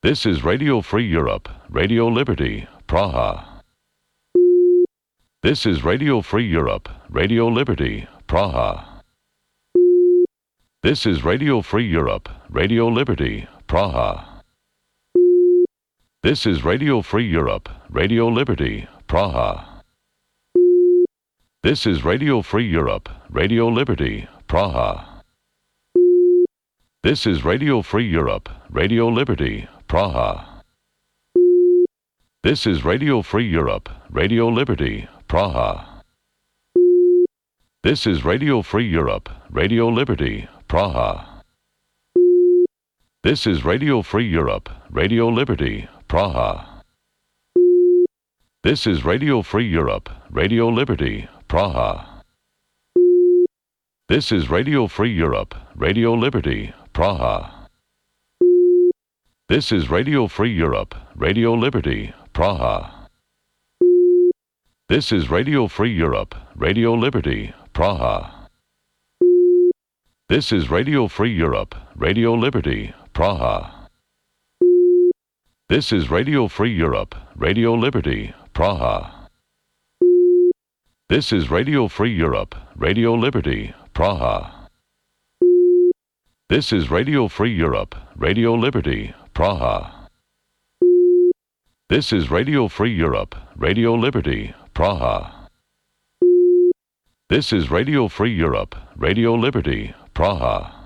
This is Radio Free Europe, Radio Liberty, Praha. This is Radio Free Europe, Radio Liberty, Praha. This is Radio Free Europe, Radio Liberty, Praha. This is Radio Free Europe, Radio Liberty, Praha. This is Radio Free Europe, Radio Liberty, Praha. This is Radio Free Europe, Radio Liberty, Praha. This is Radio Free Europe, Radio Liberty, Praha. This is Radio Free Europe, Radio Liberty, Praha. This is Radio Free Europe, Radio Liberty, Praha. This is Radio Free Europe, Radio Liberty, Praha. This is Radio Free Europe, Radio Liberty, Praha. This is Radio Free Europe, Radio Liberty, Praha. This is Radio Free Europe, Radio Liberty, Praha. This is Radio Free Europe, Radio Liberty, Praha. This is Radio Free Europe, Radio Liberty, Praha. This is Radio Free Europe, Radio Liberty, Praha. This is Radio Free Europe, Radio Liberty, Praha. This is Radio Free Europe, Radio Liberty, Praha. This is Radio Free Europe, Radio Liberty, Praha.